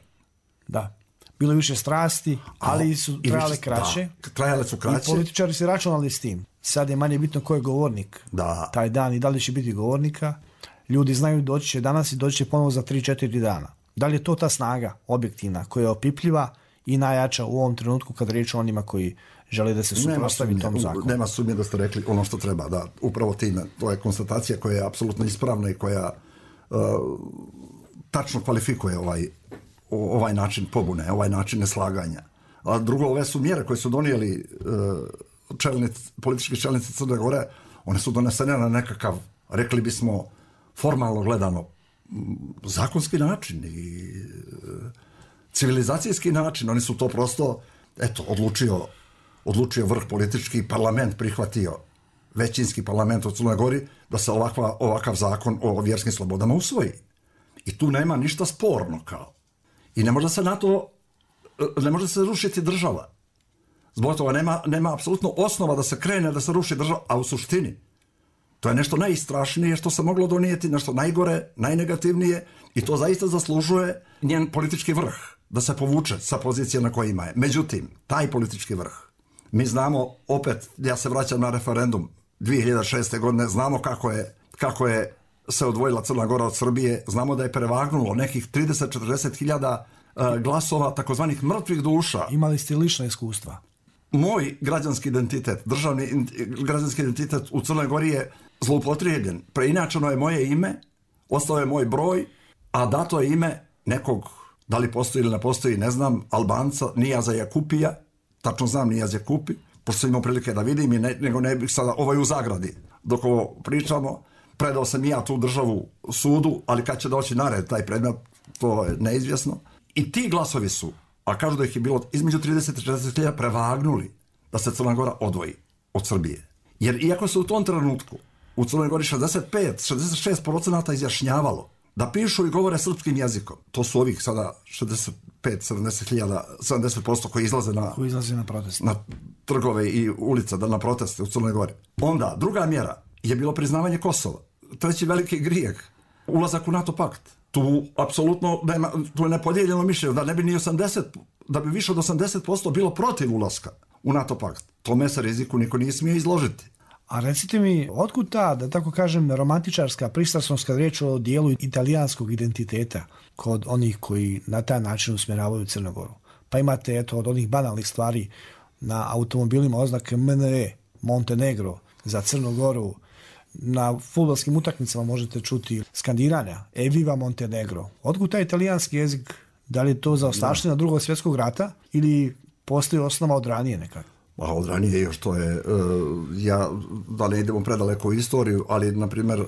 Da. Bilo je više strasti, ali su trajale kraće. Da, trajale su kraće. I političari se računali s tim. Sad je manje bitno ko je govornik da. taj dan i da li će biti govornika. Ljudi znaju doći će danas i doći će ponovo za tri četiri dana. Da li je to ta snaga objektivna koja je opipljiva i najjača u ovom trenutku kad riječ o onima koji žele da se suprotstavi tom zakonu? Nema sumnje da ste rekli ono što treba, da, upravo time. To je konstatacija koja je apsolutno ispravna i koja uh, tačno kvalifikuje ovaj, ovaj način pobune, ovaj način neslaganja. A drugo, ove su mjere koje su donijeli uh, čelnici, politički čelnici Crne Gore, one su donesene na nekakav, rekli bismo, formalno gledano, zakonski način i uh, civilizacijski način. Oni su to prosto, eto, odlučio odlučio vrh politički, parlament prihvatio, većinski parlament u Crnoj Gori, da se ovakva, ovakav zakon o vjerskim slobodama usvoji. I tu nema ništa sporno kao. I ne može se na to, ne može se rušiti država. Zbog toga nema, nema apsolutno osnova da se krene, da se ruši država, a u suštini to je nešto najstrašnije što se moglo donijeti, nešto najgore, najnegativnije, i to zaista zaslužuje njen politički vrh, da se povuče sa pozicije na kojima je. Međutim, taj politički vrh, mi znamo, opet, ja se vraćam na referendum dvije hiljade šeste. godine, znamo kako je, kako je se odvojila Crna Gora od Srbije, znamo da je prevagnulo nekih trideset do četrdeset hiljada uh, glasova takozvanih mrtvih duša. Imali ste lična iskustva? Moj građanski identitet, državni građanski identitet u Crnoj Gori je zloupotrijebljen. Preinačeno je moje ime, ostao je moj broj, a dato je ime nekog, da li postoji ili ne postoji, ne znam, Albanca, Nijaza Jakupija, tačno znam Nijaz Jakupi, pošto sam imao prilike da vidim, i ne, nego ne bih sada, ovaj u zagradi, dok ovo pričamo, predao sam i ja tu državu sudu, ali kad će doći na red taj predmet, to je neizvjesno. I ti glasovi su, a kažu da ih je bilo između trideset i četrdeset hiljada, prevagnuli da se Crna Gora odvoji od Srbije. Jer iako se u tom trenutku u Crnoj Gori šezdeset pet do šezdeset šest posto izjašnjavalo da pišu i govore srpskim jezikom, to su ovih sada šezdeset pet do sedamdeset hiljada, sedamdeset posto koji izlaze na, koji izlaze na proteste, na trgove i ulica, da na proteste u Crnoj Gori. Onda, druga mjera je bilo priznavanje Kosova. Treći veliki grijeh, ulazak u NATO pakt. Tu apsolutno nema, tu je nepodijeljeno mišljenje da ne bi ni osamdeset, da bi više od osamdeset posto bilo protiv ulaska u NATO pakt. Tome se riziku niko nije smio izložiti. A recite mi, otkud ta, da tako kažem, romantičarska pristrasnost kad riječ o dijelu italijanskog identiteta kod onih koji na taj način usmjeravaju Crnu Goru? Pa imate, eto, od onih banalnih stvari na automobilima oznake M N E, Montenegro, za Crnu Goru. Na fudbalskim utakmicama možete čuti skandiranja Eviva Montenegro. Otkud taj italijanski jezik? Da li je to zaostavština drugog svjetskog rata ili postoji osnova od ranije nekako? A od ranije još to je, ja, da ne idemo predaleko u istoriju, ali, na primjer,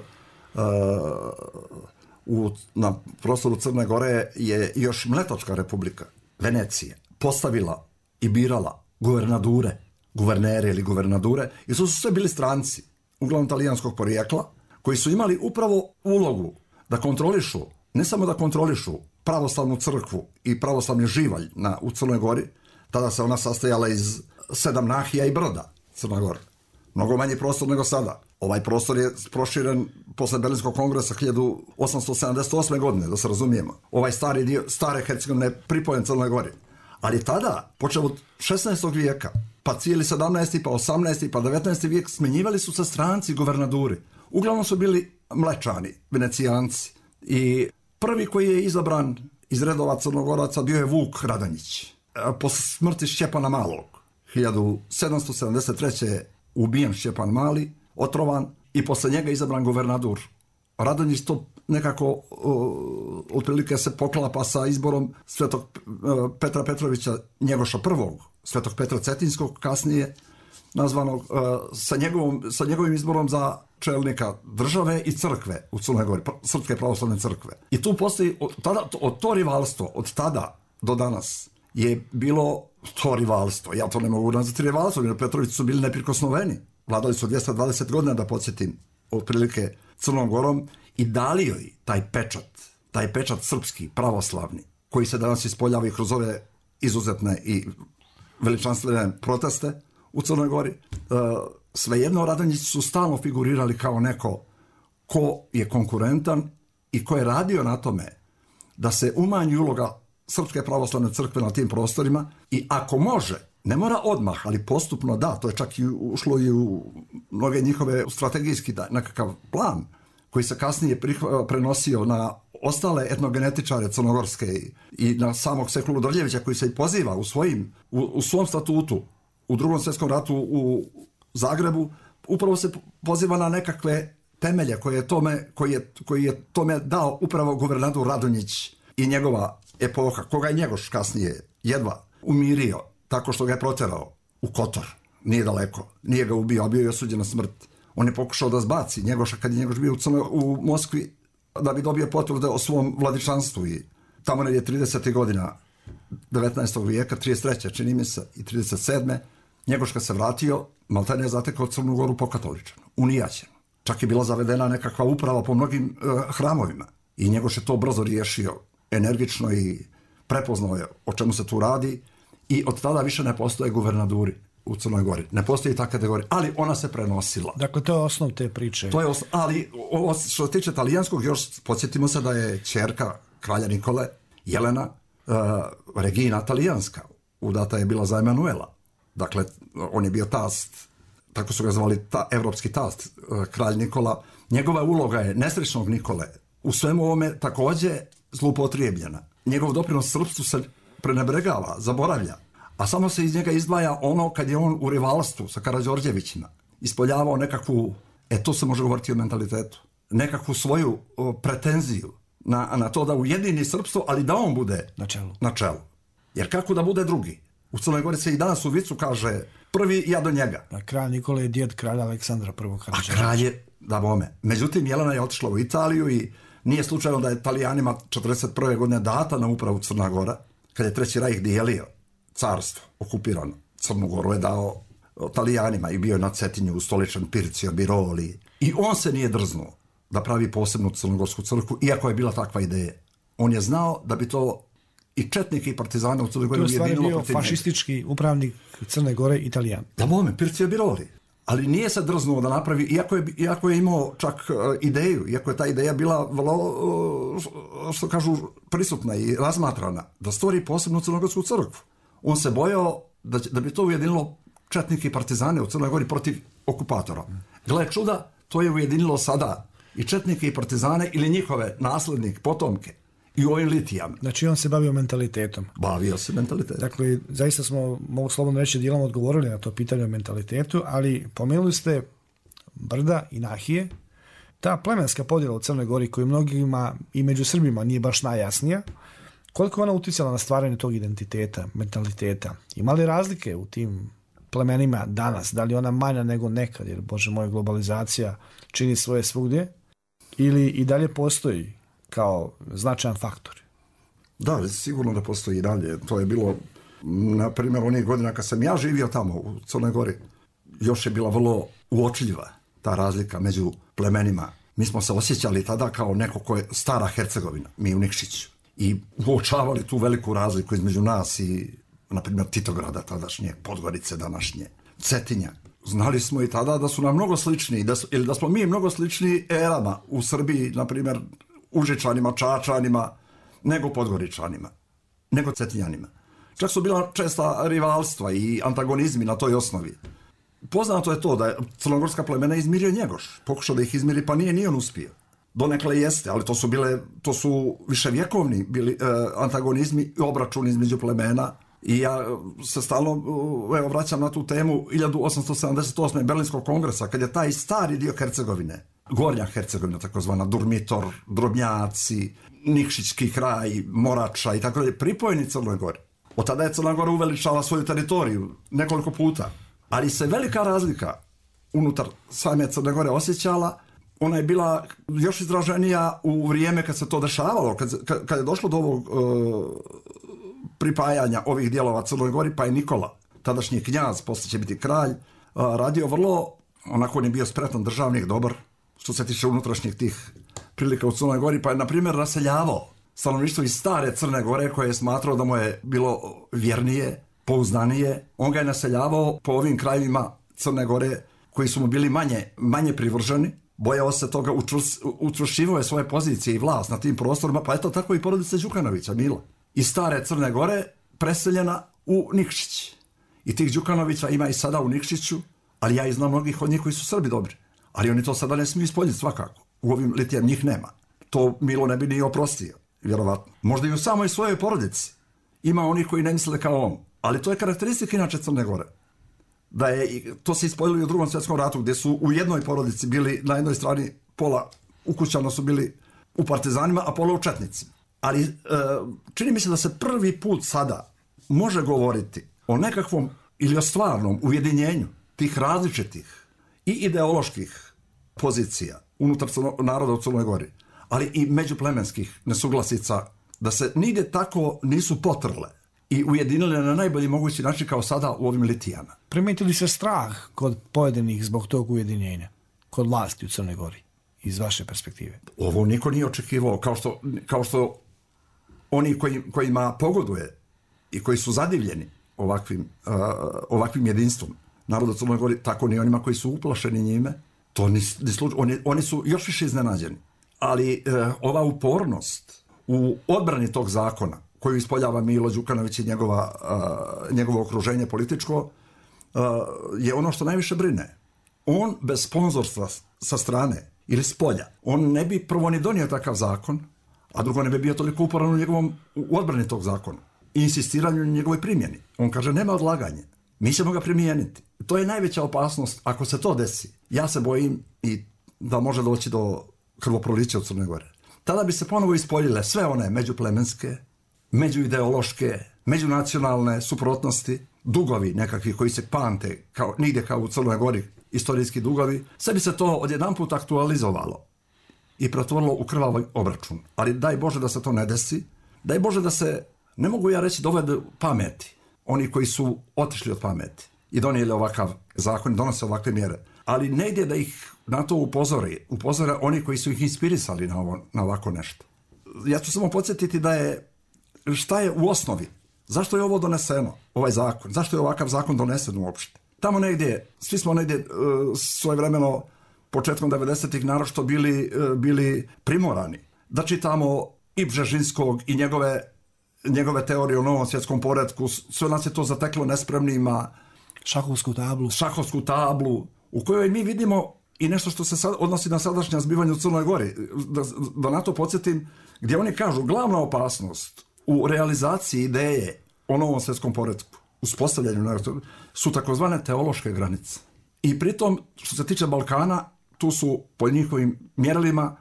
u, na prostoru Crne Gore je još Mletačka republika, Venecija, postavila i birala guvernadure, guvernere ili guvernadure, i su sve bili stranci, uglavnom talijanskog porijekla, koji su imali upravo ulogu da kontrolišu, ne samo da kontrolišu pravoslavnu crkvu i pravoslavni živalj na, u Crnoj Gori, tada se ona sastojala iz sedam nahija i broda, Crna Gora. Mnogo manji prostor nego sada. Ovaj prostor je proširen posle Berlinskog kongresa hiljadu osamsto sedamdeset osme. godine, da se razumijemo. Ovaj stari dio, stare Hercegovine je pripojen Crnoj Gori. Ali tada, počeo od šesnaestog vijeka, pa cijeli sedamnaesti, pa osamnaesti, pa devetnaesti vijek, smenjivali su se stranci guvernaduri. Uglavnom su bili Mlečani, Venecijanci. I prvi koji je izabran iz redova Crnogoraca bio je Vuk Radonjić. Posle smrti Šćepana Malog, hiljadu sedamsto sedamdeset treće. je ubijen Šćepan Mali, otrovan, i posle njega izabran guvernadur. Radonjić to nekako uh, otprilike se poklapa sa izborom Svetog uh, Petra Petrovića Njegoša prvog, Svetog Petra Cetinskog, kasnije nazvanog, uh, sa, njegovom, sa njegovim izborom za čelnika države i crkve u Crnoj Gori, Srpske pravoslavne crkve. I tu postoji, od, tada, od to rivalstvo, od tada do danas, je bilo to rivalstvo. Ja to ne mogu nazvati rivalstvo, jer Petrovići su bili neprikosnoveni. Vladali su dvjesto dvadeset godina, da podsjetim, otprilike Crnom Gorom, i dali joj taj pečat, taj pečat srpski, pravoslavni, koji se danas ispoljava i kroz ove izuzetne i veličanstvene proteste u Crnoj Gori. E, svejedno, Radonjići su stalno figurirali kao neko ko je konkurentan i ko je radio na tome da se umanji uloga Srpske pravoslavne crkve na tim prostorima, i ako može, ne mora odmah, ali postupno da, to je čak i ušlo i u mnoge njihove strategijski nekakav plan, koji se kasnije prenosio na ostale etnogenetičare crnogorske i, i na samog Sekulu Drljevića, koji se i poziva u, svojim, u, u svom statutu u drugom svjetskom ratu u Zagrebu, upravo se poziva na nekakve temelje koje je tome, koji je, koji je tome dao upravo guvernadur Radonjić i njegova epoha, koga je Njegoš kasnije jedva umirio tako što ga je proterao u Kotor, nije daleko, nije ga ubio, a bio je osuđen na smrt. On je pokušao da zbaci Njegoša kad je Njegoš bio u, Crno, u Moskvi, da bi dobio potvrde o svom vladičanstvu, i tamo je tridesetih godina devetnaestog vijeka, trideset treće čini mi se, i trideset sedme. Njegoš kad se vratio, maltene je zatekao Crnu Goru pokatoličanu, unijaćenu. Čak je bila zavedena nekakva uprava po mnogim uh, hramovima, i Njegoš je to brzo riješio, energično, i prepoznao je o čemu se tu radi, i od tada više ne postoje guvernaduri u Crnoj Gori. Ne postoji ta kategorija, ali ona se prenosila. Dakle, to je osnov te priče. To je osnov, ali ovo što se tiče talijanskog, još podsjetimo se da je ćerka kralja Nikole, Jelena, uh, Regina talijanska, udata je bila za Emanuela. Dakle, on je bio tast, tako su ga zvali, ta, evropski tast, uh, kralj Nikola. Njegova uloga je nesrećnog Nikole u svemu ovome također zloupotrijebljena. Njegov doprinos srpstvu se prenebregava, zaboravlja, a samo se iz njega izdvaja ono kad je on u rivalstvu sa Karađorđevićima ispoljavao nekakvu, e to se može govoriti o mentalitetu, nekakvu svoju o, pretenziju na, na to da ujedini srpstvo, ali da on bude na čelu. na čelu. Jer kako da bude drugi? U Crnoj Gori se i danas u vicu kaže prvi ja do njega. A kralj Nikola je djed kralja Aleksandra prvog. A kralj je, da bome. Međutim, Jelena je otišla u Italiju i nije slučajno da je Italijanima četrdeset prve. godine data na upravu Crna Gora, kad je Treći rajh dijelio carstvo, okupirano. Crnu Goru je dao Italijanima i bio je na Cetinju ustoličen Pircio Biroli. I on se nije drznuo da pravi posebnu crnogorsku crkvu, iako je bila takva ideja. On je znao da bi to i četnike i partizane u Crnoj Gori ujedinilo protiv njega. To je stvari bio fašistički upravnik Crne Gore, Italijan. Da bome, Pircio Biroli. Ali nije se drznuo da napravi, iako je, iako je imao čak uh, ideju, iako je ta ideja bila vrlo, uh, što kažu, prisutna i razmatrana, da stvori posebnu crnogorsku crkvu. On se bojao da, da bi to ujedinilo četnike i partizane u Crnoj Gori protiv okupatora. Gle čuda, to je ujedinilo sada i četnike i partizane ili njihove naslednike, potomke i u ovim litijama. Znači on se bavio mentalitetom. Bavio se mentalitetom. Dakle, zaista smo, mogu slobodno reći, dijelom odgovorili na to pitanje o mentalitetu, ali pomenuli ste Brda i Nahije. Ta plemenska podjela u Crnoj Gori, koju mnogima i među Srbima nije baš najjasnija, koliko ona uticala na stvaranje tog identiteta, mentaliteta? Ima li razlike u tim plemenima danas? Da li ona manja nego nekad, jer bože moj, globalizacija čini svoje svugdje, ili i dalje postoji kao značajan faktor? Da, sigurno da postoji i dalje. To je bilo, na primjer, onih godina kad sam ja živio tamo u Crnoj Gori, još je bila vrlo uočljiva ta razlika među plemenima. Mi smo se osjećali tada kao neko ko je stara Hercegovina, mi u Nikšiću. I uočavali tu veliku razliku između nas i, na primjer, Titograda tadašnje, Podgorice današnje, Cetinja. Znali smo i tada da su nam mnogo slični, da su, ili da smo mi mnogo slični erama u Srbiji, na primjer, Užičanima, Čačanima, nego Podgoričanima, nego Cetinjanima. Čak su bila česta rivalstva i antagonizmi na toj osnovi. Poznato je to da je crnogorska plemena izmirio Njegoš. Pokušao da ih izmiri, pa nije ni on uspio. Donekle jeste, ali to su bile, to su viševjekovni bili eh, antagonizmi i obračuni između plemena. I ja se stalno evo, vraćam na tu temu hiljadu osamsto sedamdeset osme. Berlinskog kongresa, kad je taj stari dio Hercegovine, Gornja Hercegovina, takozvana Durmitor, Drobnjaci, Nikšićki kraj, Morača i tako dalje, pripojeni Crnoj Gori. Od tada je Crna Gora uveličala svoju teritoriju nekoliko puta. Ali se velika razlika unutar same Crne Gore osjećala, ona je bila još izraženija u vrijeme kad se to dešavalo, kad, kad, kad je došlo do ovog uh, pripajanja ovih dijelova Crnoj Gori, pa je Nikola, tadašnji knjaz, poslije će biti kralj, uh, radio vrlo, onako on je bio spretan državnik, dobar, što se tiče unutrašnjih tih prilika u Crnoj Gori, pa je, na primjer, raseljavao stanovništvo iz stare Crne Gore, koje je smatrao da mu je bilo vjernije, pouzdanije. On ga je naseljavao po ovim krajevima Crne Gore koji su mu bili manje, manje privrženi, bojao se toga, učvršćivao je svoje pozicije i vlast na tim prostorima, pa eto tako i porodica Đukanovića, Mila. Iz stare Crne Gore preseljena u Nikšić. I tih Đukanovića ima i sada u Nikšiću, ali ja i znam mnogih od njih koji su Srbi dobri. Ali oni to sada ne smiju ispoljiti svakako. U ovim litijama njih nema. To Milo ne bi ni oprostio, vjerovatno. Možda i u samoj svojoj porodici ima onih koji ne misle kao on. Ali to je karakteristika inače Crne Gore. Da je, to se ispoljilo i u Drugom svjetskom ratu, gdje su u jednoj porodici bili, na jednoj strani pola ukućano su bili u partizanima, a pola u četnicima. Ali e, čini mi se da se prvi put sada može govoriti o nekakvom ili o stvarnom ujedinjenju tih različitih i ideoloških pozicija unutar naroda u Crnoj Gori, ali i međuplemenskih nesuglasica, da se nigdje tako nisu potrle i ujedinile na najbolji mogući način kao sada u ovim litijama. Primeti li se strah kod pojedinih zbog tog ujedinjenja, kod vlasti u Crnoj Gori, iz vaše perspektive? Ovo niko nije očekivao, kao što, kao što oni koji, kojima pogoduje i koji su zadivljeni ovakvim, uh, ovakvim jedinstvom naroda u Crnoj Gori, tako ni onima koji su uplašeni njime, to ni, ni sluč... oni, oni su još više iznenađeni. Ali uh, ova upornost u odbrani tog zakona, koju ispoljava Milo Đukanović i njegova, uh, njegovo okruženje političko, uh, je ono što najviše brine. On bez sponzorstva sa strane ili s polja, on ne bi prvo ni donio takav zakon, a drugo ne bi bio toliko uporan u njegovom u odbrani tog zakona i insistiranju na njegovoj primjeni. On kaže, nema odlaganje, mi ćemo ga primijeniti. To je najveća opasnost. Ako se to desi, ja se bojim i da može doći do krvoprolića u Crnoj Gori. Tada bi se ponovo ispoljile sve one međuplemenske, međuideološke, međunacionalne suprotnosti, dugovi nekakvi koji se pamte kao, nigdje kao u Crnoj Gori, istorijski dugovi, sve bi se to odjedanput aktualizovalo i pretvorilo u krvavi obračun. Ali daj Bože da se to ne desi, daj Bože da se, ne mogu ja reći, dovedu pameti, oni koji su otišli od pameti i donijeli ovakav zakon, donose ovakve mjere, ali ne ide da ih na to upozori, upozore oni koji su ih inspirisali na, ovo, na ovako nešto. Ja ću samo podsjetiti da je, šta je u osnovi, zašto je ovo doneseno, ovaj zakon, zašto je ovakav zakon donesen uopšte. Tamo negdje, svi smo negdje uh, svojevremeno, početkom devedesetih naročito bili, uh, bili primorani da čitamo i Bžežinskog i njegove, njegove teorije o novom svjetskom poretku. Sve nas je to zateklo nespremnima. Šahovsku tablu. Šahovsku tablu, u kojoj mi vidimo i nešto što se sad odnosi na sadašnja zbivanja u Crnoj Gori. Da, da na to podsjetim, gdje oni kažu, glavna opasnost u realizaciji ideje o novom svjetskom poretku, uspostavljanju su takozvane teološke granice. I pritom, što se tiče Balkana, tu su po njihovim mjerilima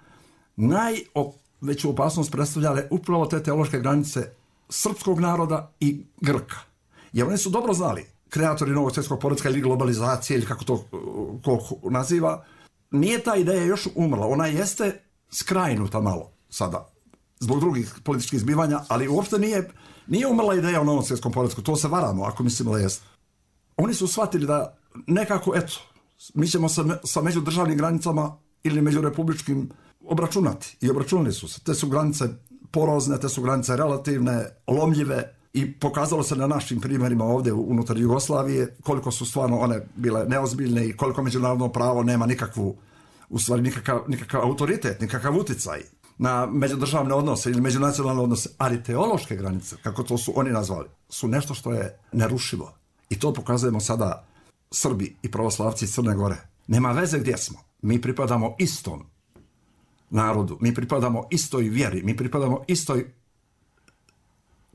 najveću opasnost predstavljale upravo te teološke granice srpskog naroda i Grka. Jer oni su dobro znali kreatori novog svjetskog poretka ili globalizacije ili kako to ko naziva, nije ta ideja još umrla. Ona jeste skrajnuta malo sada zbog drugih političkih zbivanja, ali uopšte nije, nije umrla ideja o novom svjetskom poretku. To se varamo ako mislimo da jeste. Oni su shvatili da nekako, eto, mi ćemo sa, sa međudržavnim granicama ili međurepubličkim obračunati. I obračunali su se. Te su granice porozne, te su granice relativne, lomljive i pokazalo se na našim primjerima ovdje unutar Jugoslavije koliko su stvarno one bile neozbiljne i koliko međunarodno pravo nema nikakvu, u stvari nikakav, nikakav autoritet, nikakav uticaj na međudržavne odnose ili međunacionalne odnose, ali teološke granice, kako to su oni nazvali, su nešto što je nerušivo. I to pokazujemo sada Srbi i pravoslavci iz Crne Gore. Nema veze gdje smo. Mi pripadamo istom narodu, mi pripadamo istoj vjeri, mi pripadamo istoj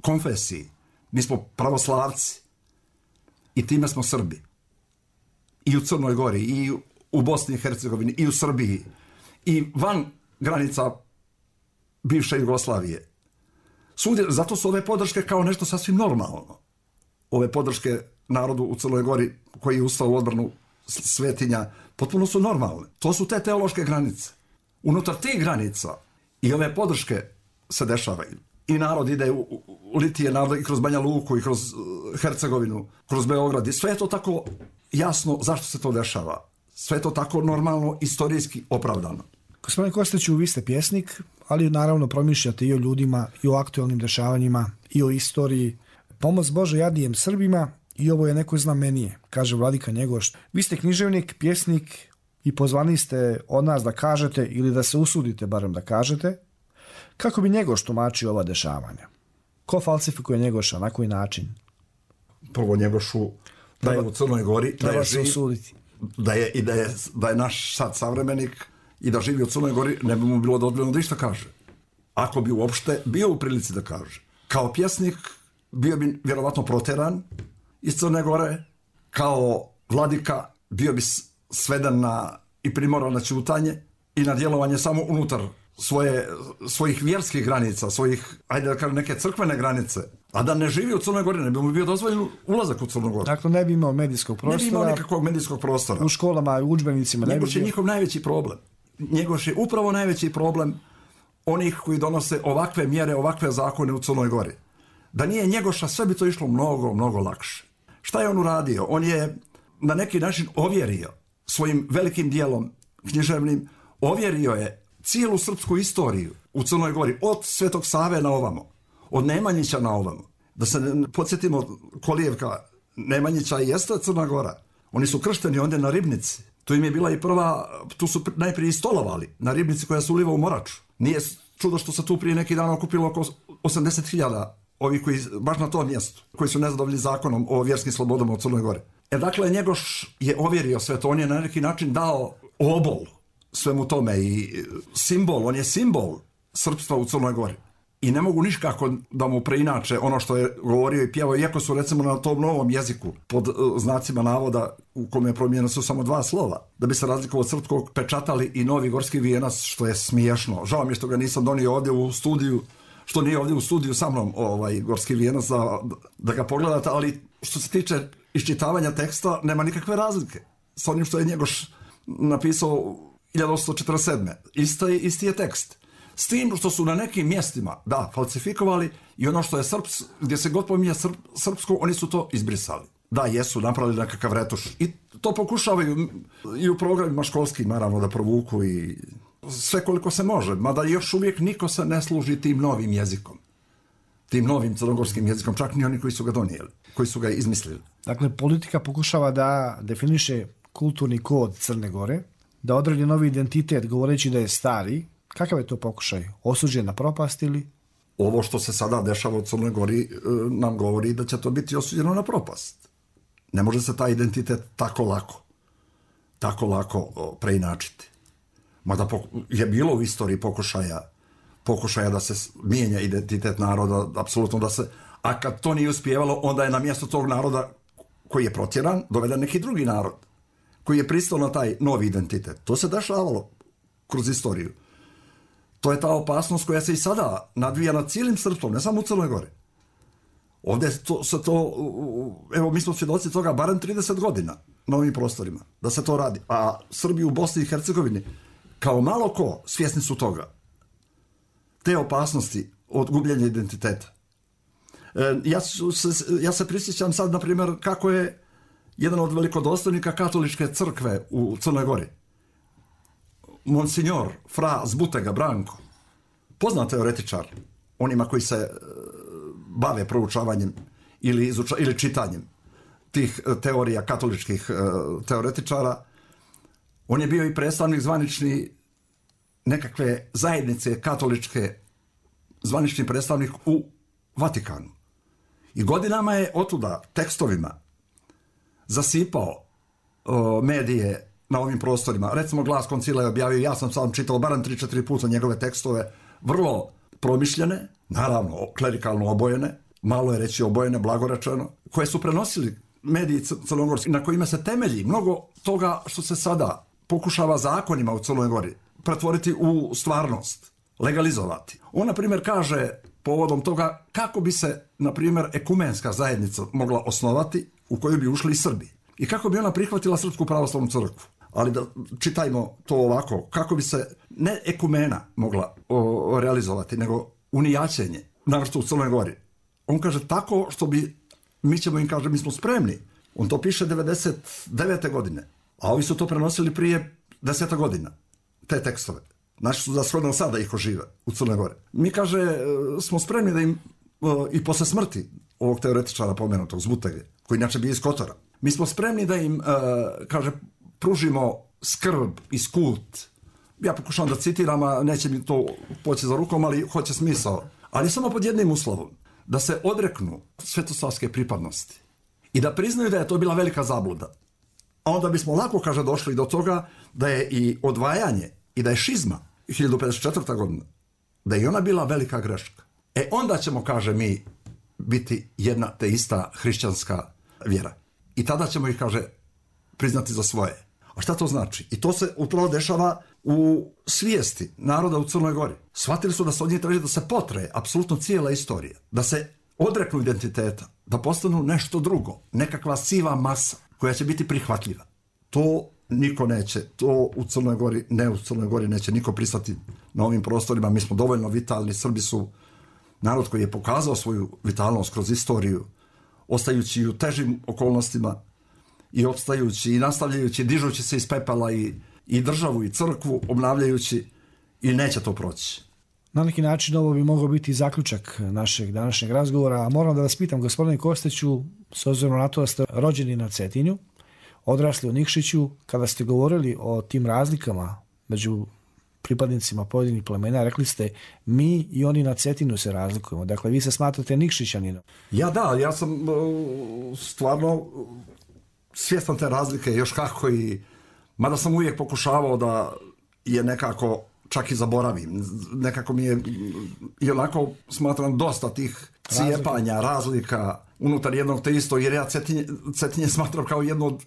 konfesiji. Mi smo pravoslavci i time smo Srbi. I u Crnoj Gori, i u Bosni i Hercegovini, i u Srbiji, i van granica bivše Jugoslavije. Svugdje, zato su ove podrške kao nešto sasvim normalno. Ove podrške narodu u Crnoj Gori koji je ustao u odbranu svetinja, potpuno su normalne. To su te teološke granice. Unutar tih granica i ove podrške se dešavaju. I narod ide u, u, u Litije, narod i kroz Banja Luku, i kroz uh, Hercegovinu, kroz Beograd. I sve je to tako jasno zašto se to dešava. Sve je to tako normalno, istorijski opravdano. Gospodine Kostiću, vi ste pjesnik, ali naravno promišljate i o ljudima, i o aktualnim dešavanjima, i o istoriji. Pomoz Bože jadijem Srbima i ovo je neko znamenije, kaže vladika Njegoš. Vi ste književnik, pjesnik i pozvani ste od nas da kažete ili da se usudite barem da kažete kako bi Njegoš tumačio ova dešavanja. Ko falsifikuje Njegoša, na koji način? Prvo Njegošu da je u Crnoj Gori, da je, živ, da je, i da je, da je naš sad savremenik i da živi u Crnoj Gori, ne bi mu bilo dozvoljeno da išta kaže. Ako bi uopšte bio u prilici da kaže. Kao pjesnik bio bi vjerovatno proteran iz Crne Gore, kao vladika bio bi sveden na i primoran na ćutanje i na djelovanje samo unutar svoje, svojih vjerskih granica, svojih, ajde da kažem, neke crkvene granice, a da ne živi u Crnoj Gori, ne bi mu bio dozvoljen ulazak u Crnu Goru. Dakle, ne bi imao medijskog prostora. Ne bi imao nekakvog medijskog prostora. U školama, u udžbenicima. Njegoš je njihov najveći problem. Njegoš je upravo najveći problem onih koji donose ovakve mjere, ovakve zakone u Crnoj Gori. Da nije Njegoša, sve bi to išlo mnogo, mnogo lakše. Šta je on uradio? On je na neki način ovjerio svojim velikim dijelom književnim, ovjerio je cijelu srpsku istoriju u Crnoj Gori, od Svetog Save na ovamo, od Nemanjića na ovamo. Da se ne podsjetimo kolijevka Nemanjića i jeste Crna Gora. Oni su kršteni ondje na Ribnici. Tu im je bila i prva, tu su najprije stolovali na Ribnici koja se uliva u Moraču. Nije čudo što se tu prije neki dan okupilo oko osamdeset hiljada ovi koji, baš na tom mjestu, koji su nezadovoljni zakonom o vjerskim slobodama u Crnoj Gori. E dakle, Njegoš je ovjerio sve to, on je na neki način dao obol svemu tome i simbol, on je simbol srpstva u Crnoj Gori. I ne mogu niškako da mu preinače ono što je govorio i pjevao, iako su recimo na tom novom jeziku, pod uh, znacima navoda u kome je promijenjeno su samo dva slova, da bi se razlikovao od srpskog pečatali i Novi Gorski vijenac, što je smiješno. Žao mi je što ga nisam donio ovdje u studiju, što nije ovdje u studiju sa mnom ovaj Gorski vijenac da, da ga pogledate, ali što se tiče iščitavanja teksta nema nikakve razlike s onim što je Njegoš napisao hiljadu osamsto četrdeset sedme. Isti, isti je tekst. S tim što su na nekim mjestima, da, falsifikovali i ono što je srps, gdje se god pominje srp, srpsko, oni su to izbrisali. Da, jesu, napravili nekakav retuš. I to pokušavaju i u programima školskim, naravno, da provuku i sve koliko se može. Mada još uvijek niko se ne služi tim novim jezikom. Tim novim crnogorskim jezikom, čak ni oni koji su ga donijeli, koji su ga izmislili. Dakle, politika pokušava da definiše kulturni kod Crne Gore, da odredi novi identitet govoreći da je stari. Kakav je to pokušaj? Osuđen na propast ili? Ovo što se sada dešava u Crnoj Gori nam govori da će to biti osuđeno na propast. Ne može se taj identitet tako lako, tako lako preinačiti. Mada je bilo u istoriji pokušaja, pokušaja da se mijenja identitet naroda, apsolutno da se, a kad to nije uspijevalo, onda je na mjesto tog naroda koji je protjeran, doveden neki drugi narod, koji je pristao na taj novi identitet. To se dešavalo kroz istoriju. To je ta opasnost koja se i sada nadvija nad cijelim srpstvom, ne samo u Crnoj Gori. Ovdje to, se to, evo mi smo svjedoci toga barem trideset godina na ovim prostorima, da se to radi. A Srbi u Bosni i Hercegovini, kao malo ko, svjesni su toga. Te opasnosti od gubljenja identiteta. E, ja, se, ja se prisjećam sad, na primjer, kako je jedan od velikodostojnika katoličke crkve u Crnoj Gori, Monsignor Fra Zbutega Branko, poznat teoretičar, onima koji se bave proučavanjem ili, izuča, ili čitanjem tih teorija katoličkih teoretičara. On je bio i predstavnik zvanični nekakve zajednice katoličke, zvanični predstavnik u Vatikanu. I godinama je otuda tekstovima zasipao o, medije na ovim prostorima. Recimo Glas Koncila je objavio, ja sam sam čitao barem tri četiri puta njegove tekstove, vrlo promišljene, naravno klerikalno obojene, malo je reći obojene, blagorečeno, koje su prenosili mediji crnogorski, na kojima se temelji mnogo toga što se sada pokušava zakonima u Crnoj Gori pretvoriti u stvarnost, legalizovati. On, na primjer, kaže povodom toga kako bi se, na primjer, ekumenska zajednica mogla osnovati u koju bi ušli i Srbi. I kako bi ona prihvatila Srpsku pravoslavnu crkvu. Ali da čitajmo to ovako, kako bi se ne ekumena mogla o, o realizovati, nego unijaćenje, navrsto u Crnoj Gori. On kaže tako što bi, mi ćemo im kaže, mi smo spremni. On to piše devedeset devete godine, a ovi su to prenosili prije deseta godina, te tekstove. Naši su za shodno sada ih ožive u Crnoj Gori. Mi, kaže, smo spremni da im i posle smrti ovog teoretičara pomenutog Zbutege, koji inače bio iz Kotora, mi smo spremni da im, kaže, pružimo skrb i skut. Ja pokušavam da citiram, a neće mi to poći za rukom, ali hoće smisao. Ali samo pod jednim uslovom, da se odreknu svetosavske pripadnosti i da priznaju da je to bila velika zabluda. A onda bismo lako, kaže, došli do toga da je i odvajanje i da je šizma hiljadu pedeset četvrta godina, da je ona bila velika greška. E onda ćemo, kaže, mi biti jedna te ista hrišćanska vjera. I tada ćemo ih, kaže, priznati za svoje. A šta to znači? I to se upravo dešava u svijesti naroda u Crnoj Gori. Shvatili su da se od njih traži da se potre apsolutno cijela istorija, da se odreknu identiteta, da postanu nešto drugo, nekakva siva masa koja će biti prihvatljiva. To niko neće, to u Crnoj Gori, ne u Crnoj Gori neće niko pristati na ovim prostorima. Mi smo dovoljno vitalni, Srbi su narod koji je pokazao svoju vitalnost kroz istoriju, ostajući u težim okolnostima i opstajući i nastavljajući, dižući se iz pepela i, i državu i crkvu, obnavljajući, i neće to proći. Na neki način ovo bi mogao biti zaključak našeg današnjeg razgovora, a moram da vas pitam, gospodine Kostiću, s obzirom na to da ste rođeni na Cetinju, odrasli u Nikšiću, kada ste govorili o tim razlikama među pripadnicima pojedinih plemena, rekli ste mi i oni na Cetinu se razlikujemo. Dakle, vi se smatrate Nikšićaninom. Ja da, ja sam uh, stvarno svjestan te razlike još kako, i mada sam uvijek pokušavao da je nekako čak i zaboravim. Nekako mi je i onako smatram dosta tih cijepanja, razlika unutar jednog te isto, jer ja Cetinje, Cetinje smatram kao jednu od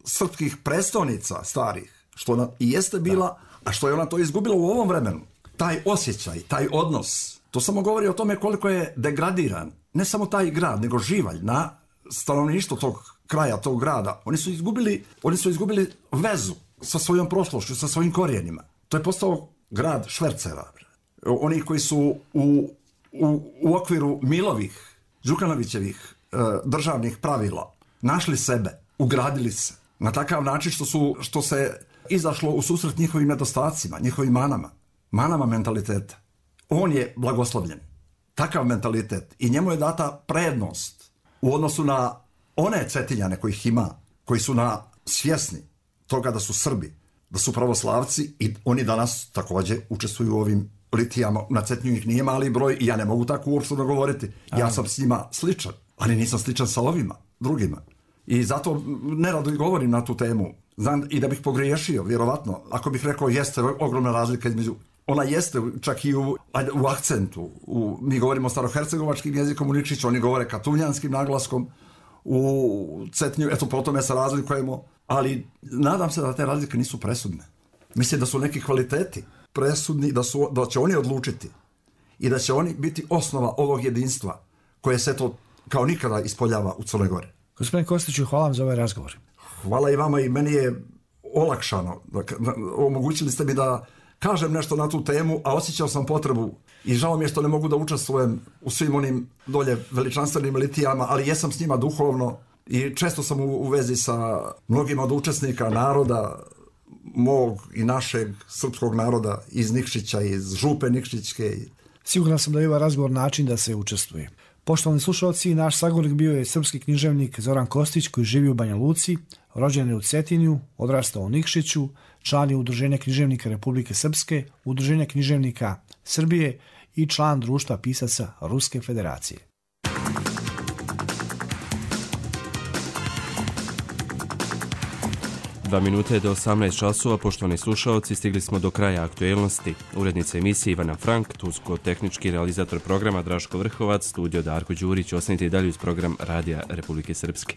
srpskih prestolnica starih, što ona i jeste bila, a što je ona to izgubila u ovom vremenu. Taj osjećaj, taj odnos, to samo govori o tome koliko je degradiran, ne samo taj grad, nego Živalj, na stanovništvo tog kraja, tog grada. Oni su izgubili, oni su izgubili vezu sa svojom prošlošću, sa svojim korijenima. To je postao grad švercera. Oni koji su u, u, u okviru Milovih, Đukanovićevih e, državnih pravila našli sebe, ugradili se na takav način što, su, što se izašlo u susret njihovim nedostacima, njihovim manama, manama mentaliteta. On je blagoslovljen. Takav mentalitet. I njemu je data prednost u odnosu na one Cetinjane kojih ima, koji su na svjesni toga da su Srbi, da su pravoslavci, i oni danas također učestvuju u ovim litijama. Na Cetinju ih nije mali broj i ja ne mogu tako uopšte govoriti. Ja sam s njima sličan, ali nisam sličan sa ovima, drugima. I zato nerado i govorim na tu temu. Znam i da bih pogriješio, vjerovatno, ako bih rekao jeste ogromna razlika između, ona jeste čak i u, u akcentu. U, mi govorimo starohercegovačkim jezikom u Nikšiću, oni govore katunjanskim naglaskom u Cetinju, eto po tome se razlikujemo, ali nadam se da te razlike nisu presudne. Mislim da su neki kvaliteti presudni, da, su, da će oni odlučiti i da će oni biti osnova ovog jedinstva koje se to kao nikada ispoljava u Crnoj Gori. Gospodin Kostiću, hvala vam za ovaj razgovor. Hvala i vama, i meni je olakšano. Omogućili ste mi da kažem nešto na tu temu, a osjećao sam potrebu i žao mi je što ne mogu da učestvujem u svim onim dolje veličanstvenim litijama, ali jesam s njima duhovno i često sam u, u vezi sa mnogima od učesnika naroda, mog i našeg srpskog naroda iz Nikšića, iz Župe Nikšićke. Siguran sam da je ovaj razgovor način da se učestvuje. Poštovani slušalci, naš sagovornik bio je srpski književnik Zoran Kostić, koji živi u Banja Luci, rođen je u Cetinju, odrastao u Nikšiću, član je Udruženja književnika Republike Srpske, Udruženja književnika Srbije i član Društva pisaca Ruske federacije. Dva minute do osamnaest časova, poštovani slušalci, stigli smo do kraja aktuelnosti. Urednica emisije Ivana Frank, tursko-tehnički realizator programa Draško Vrhovac, studio Darko Đurić. Ostanite i dalje uz program Radija Republike Srpske.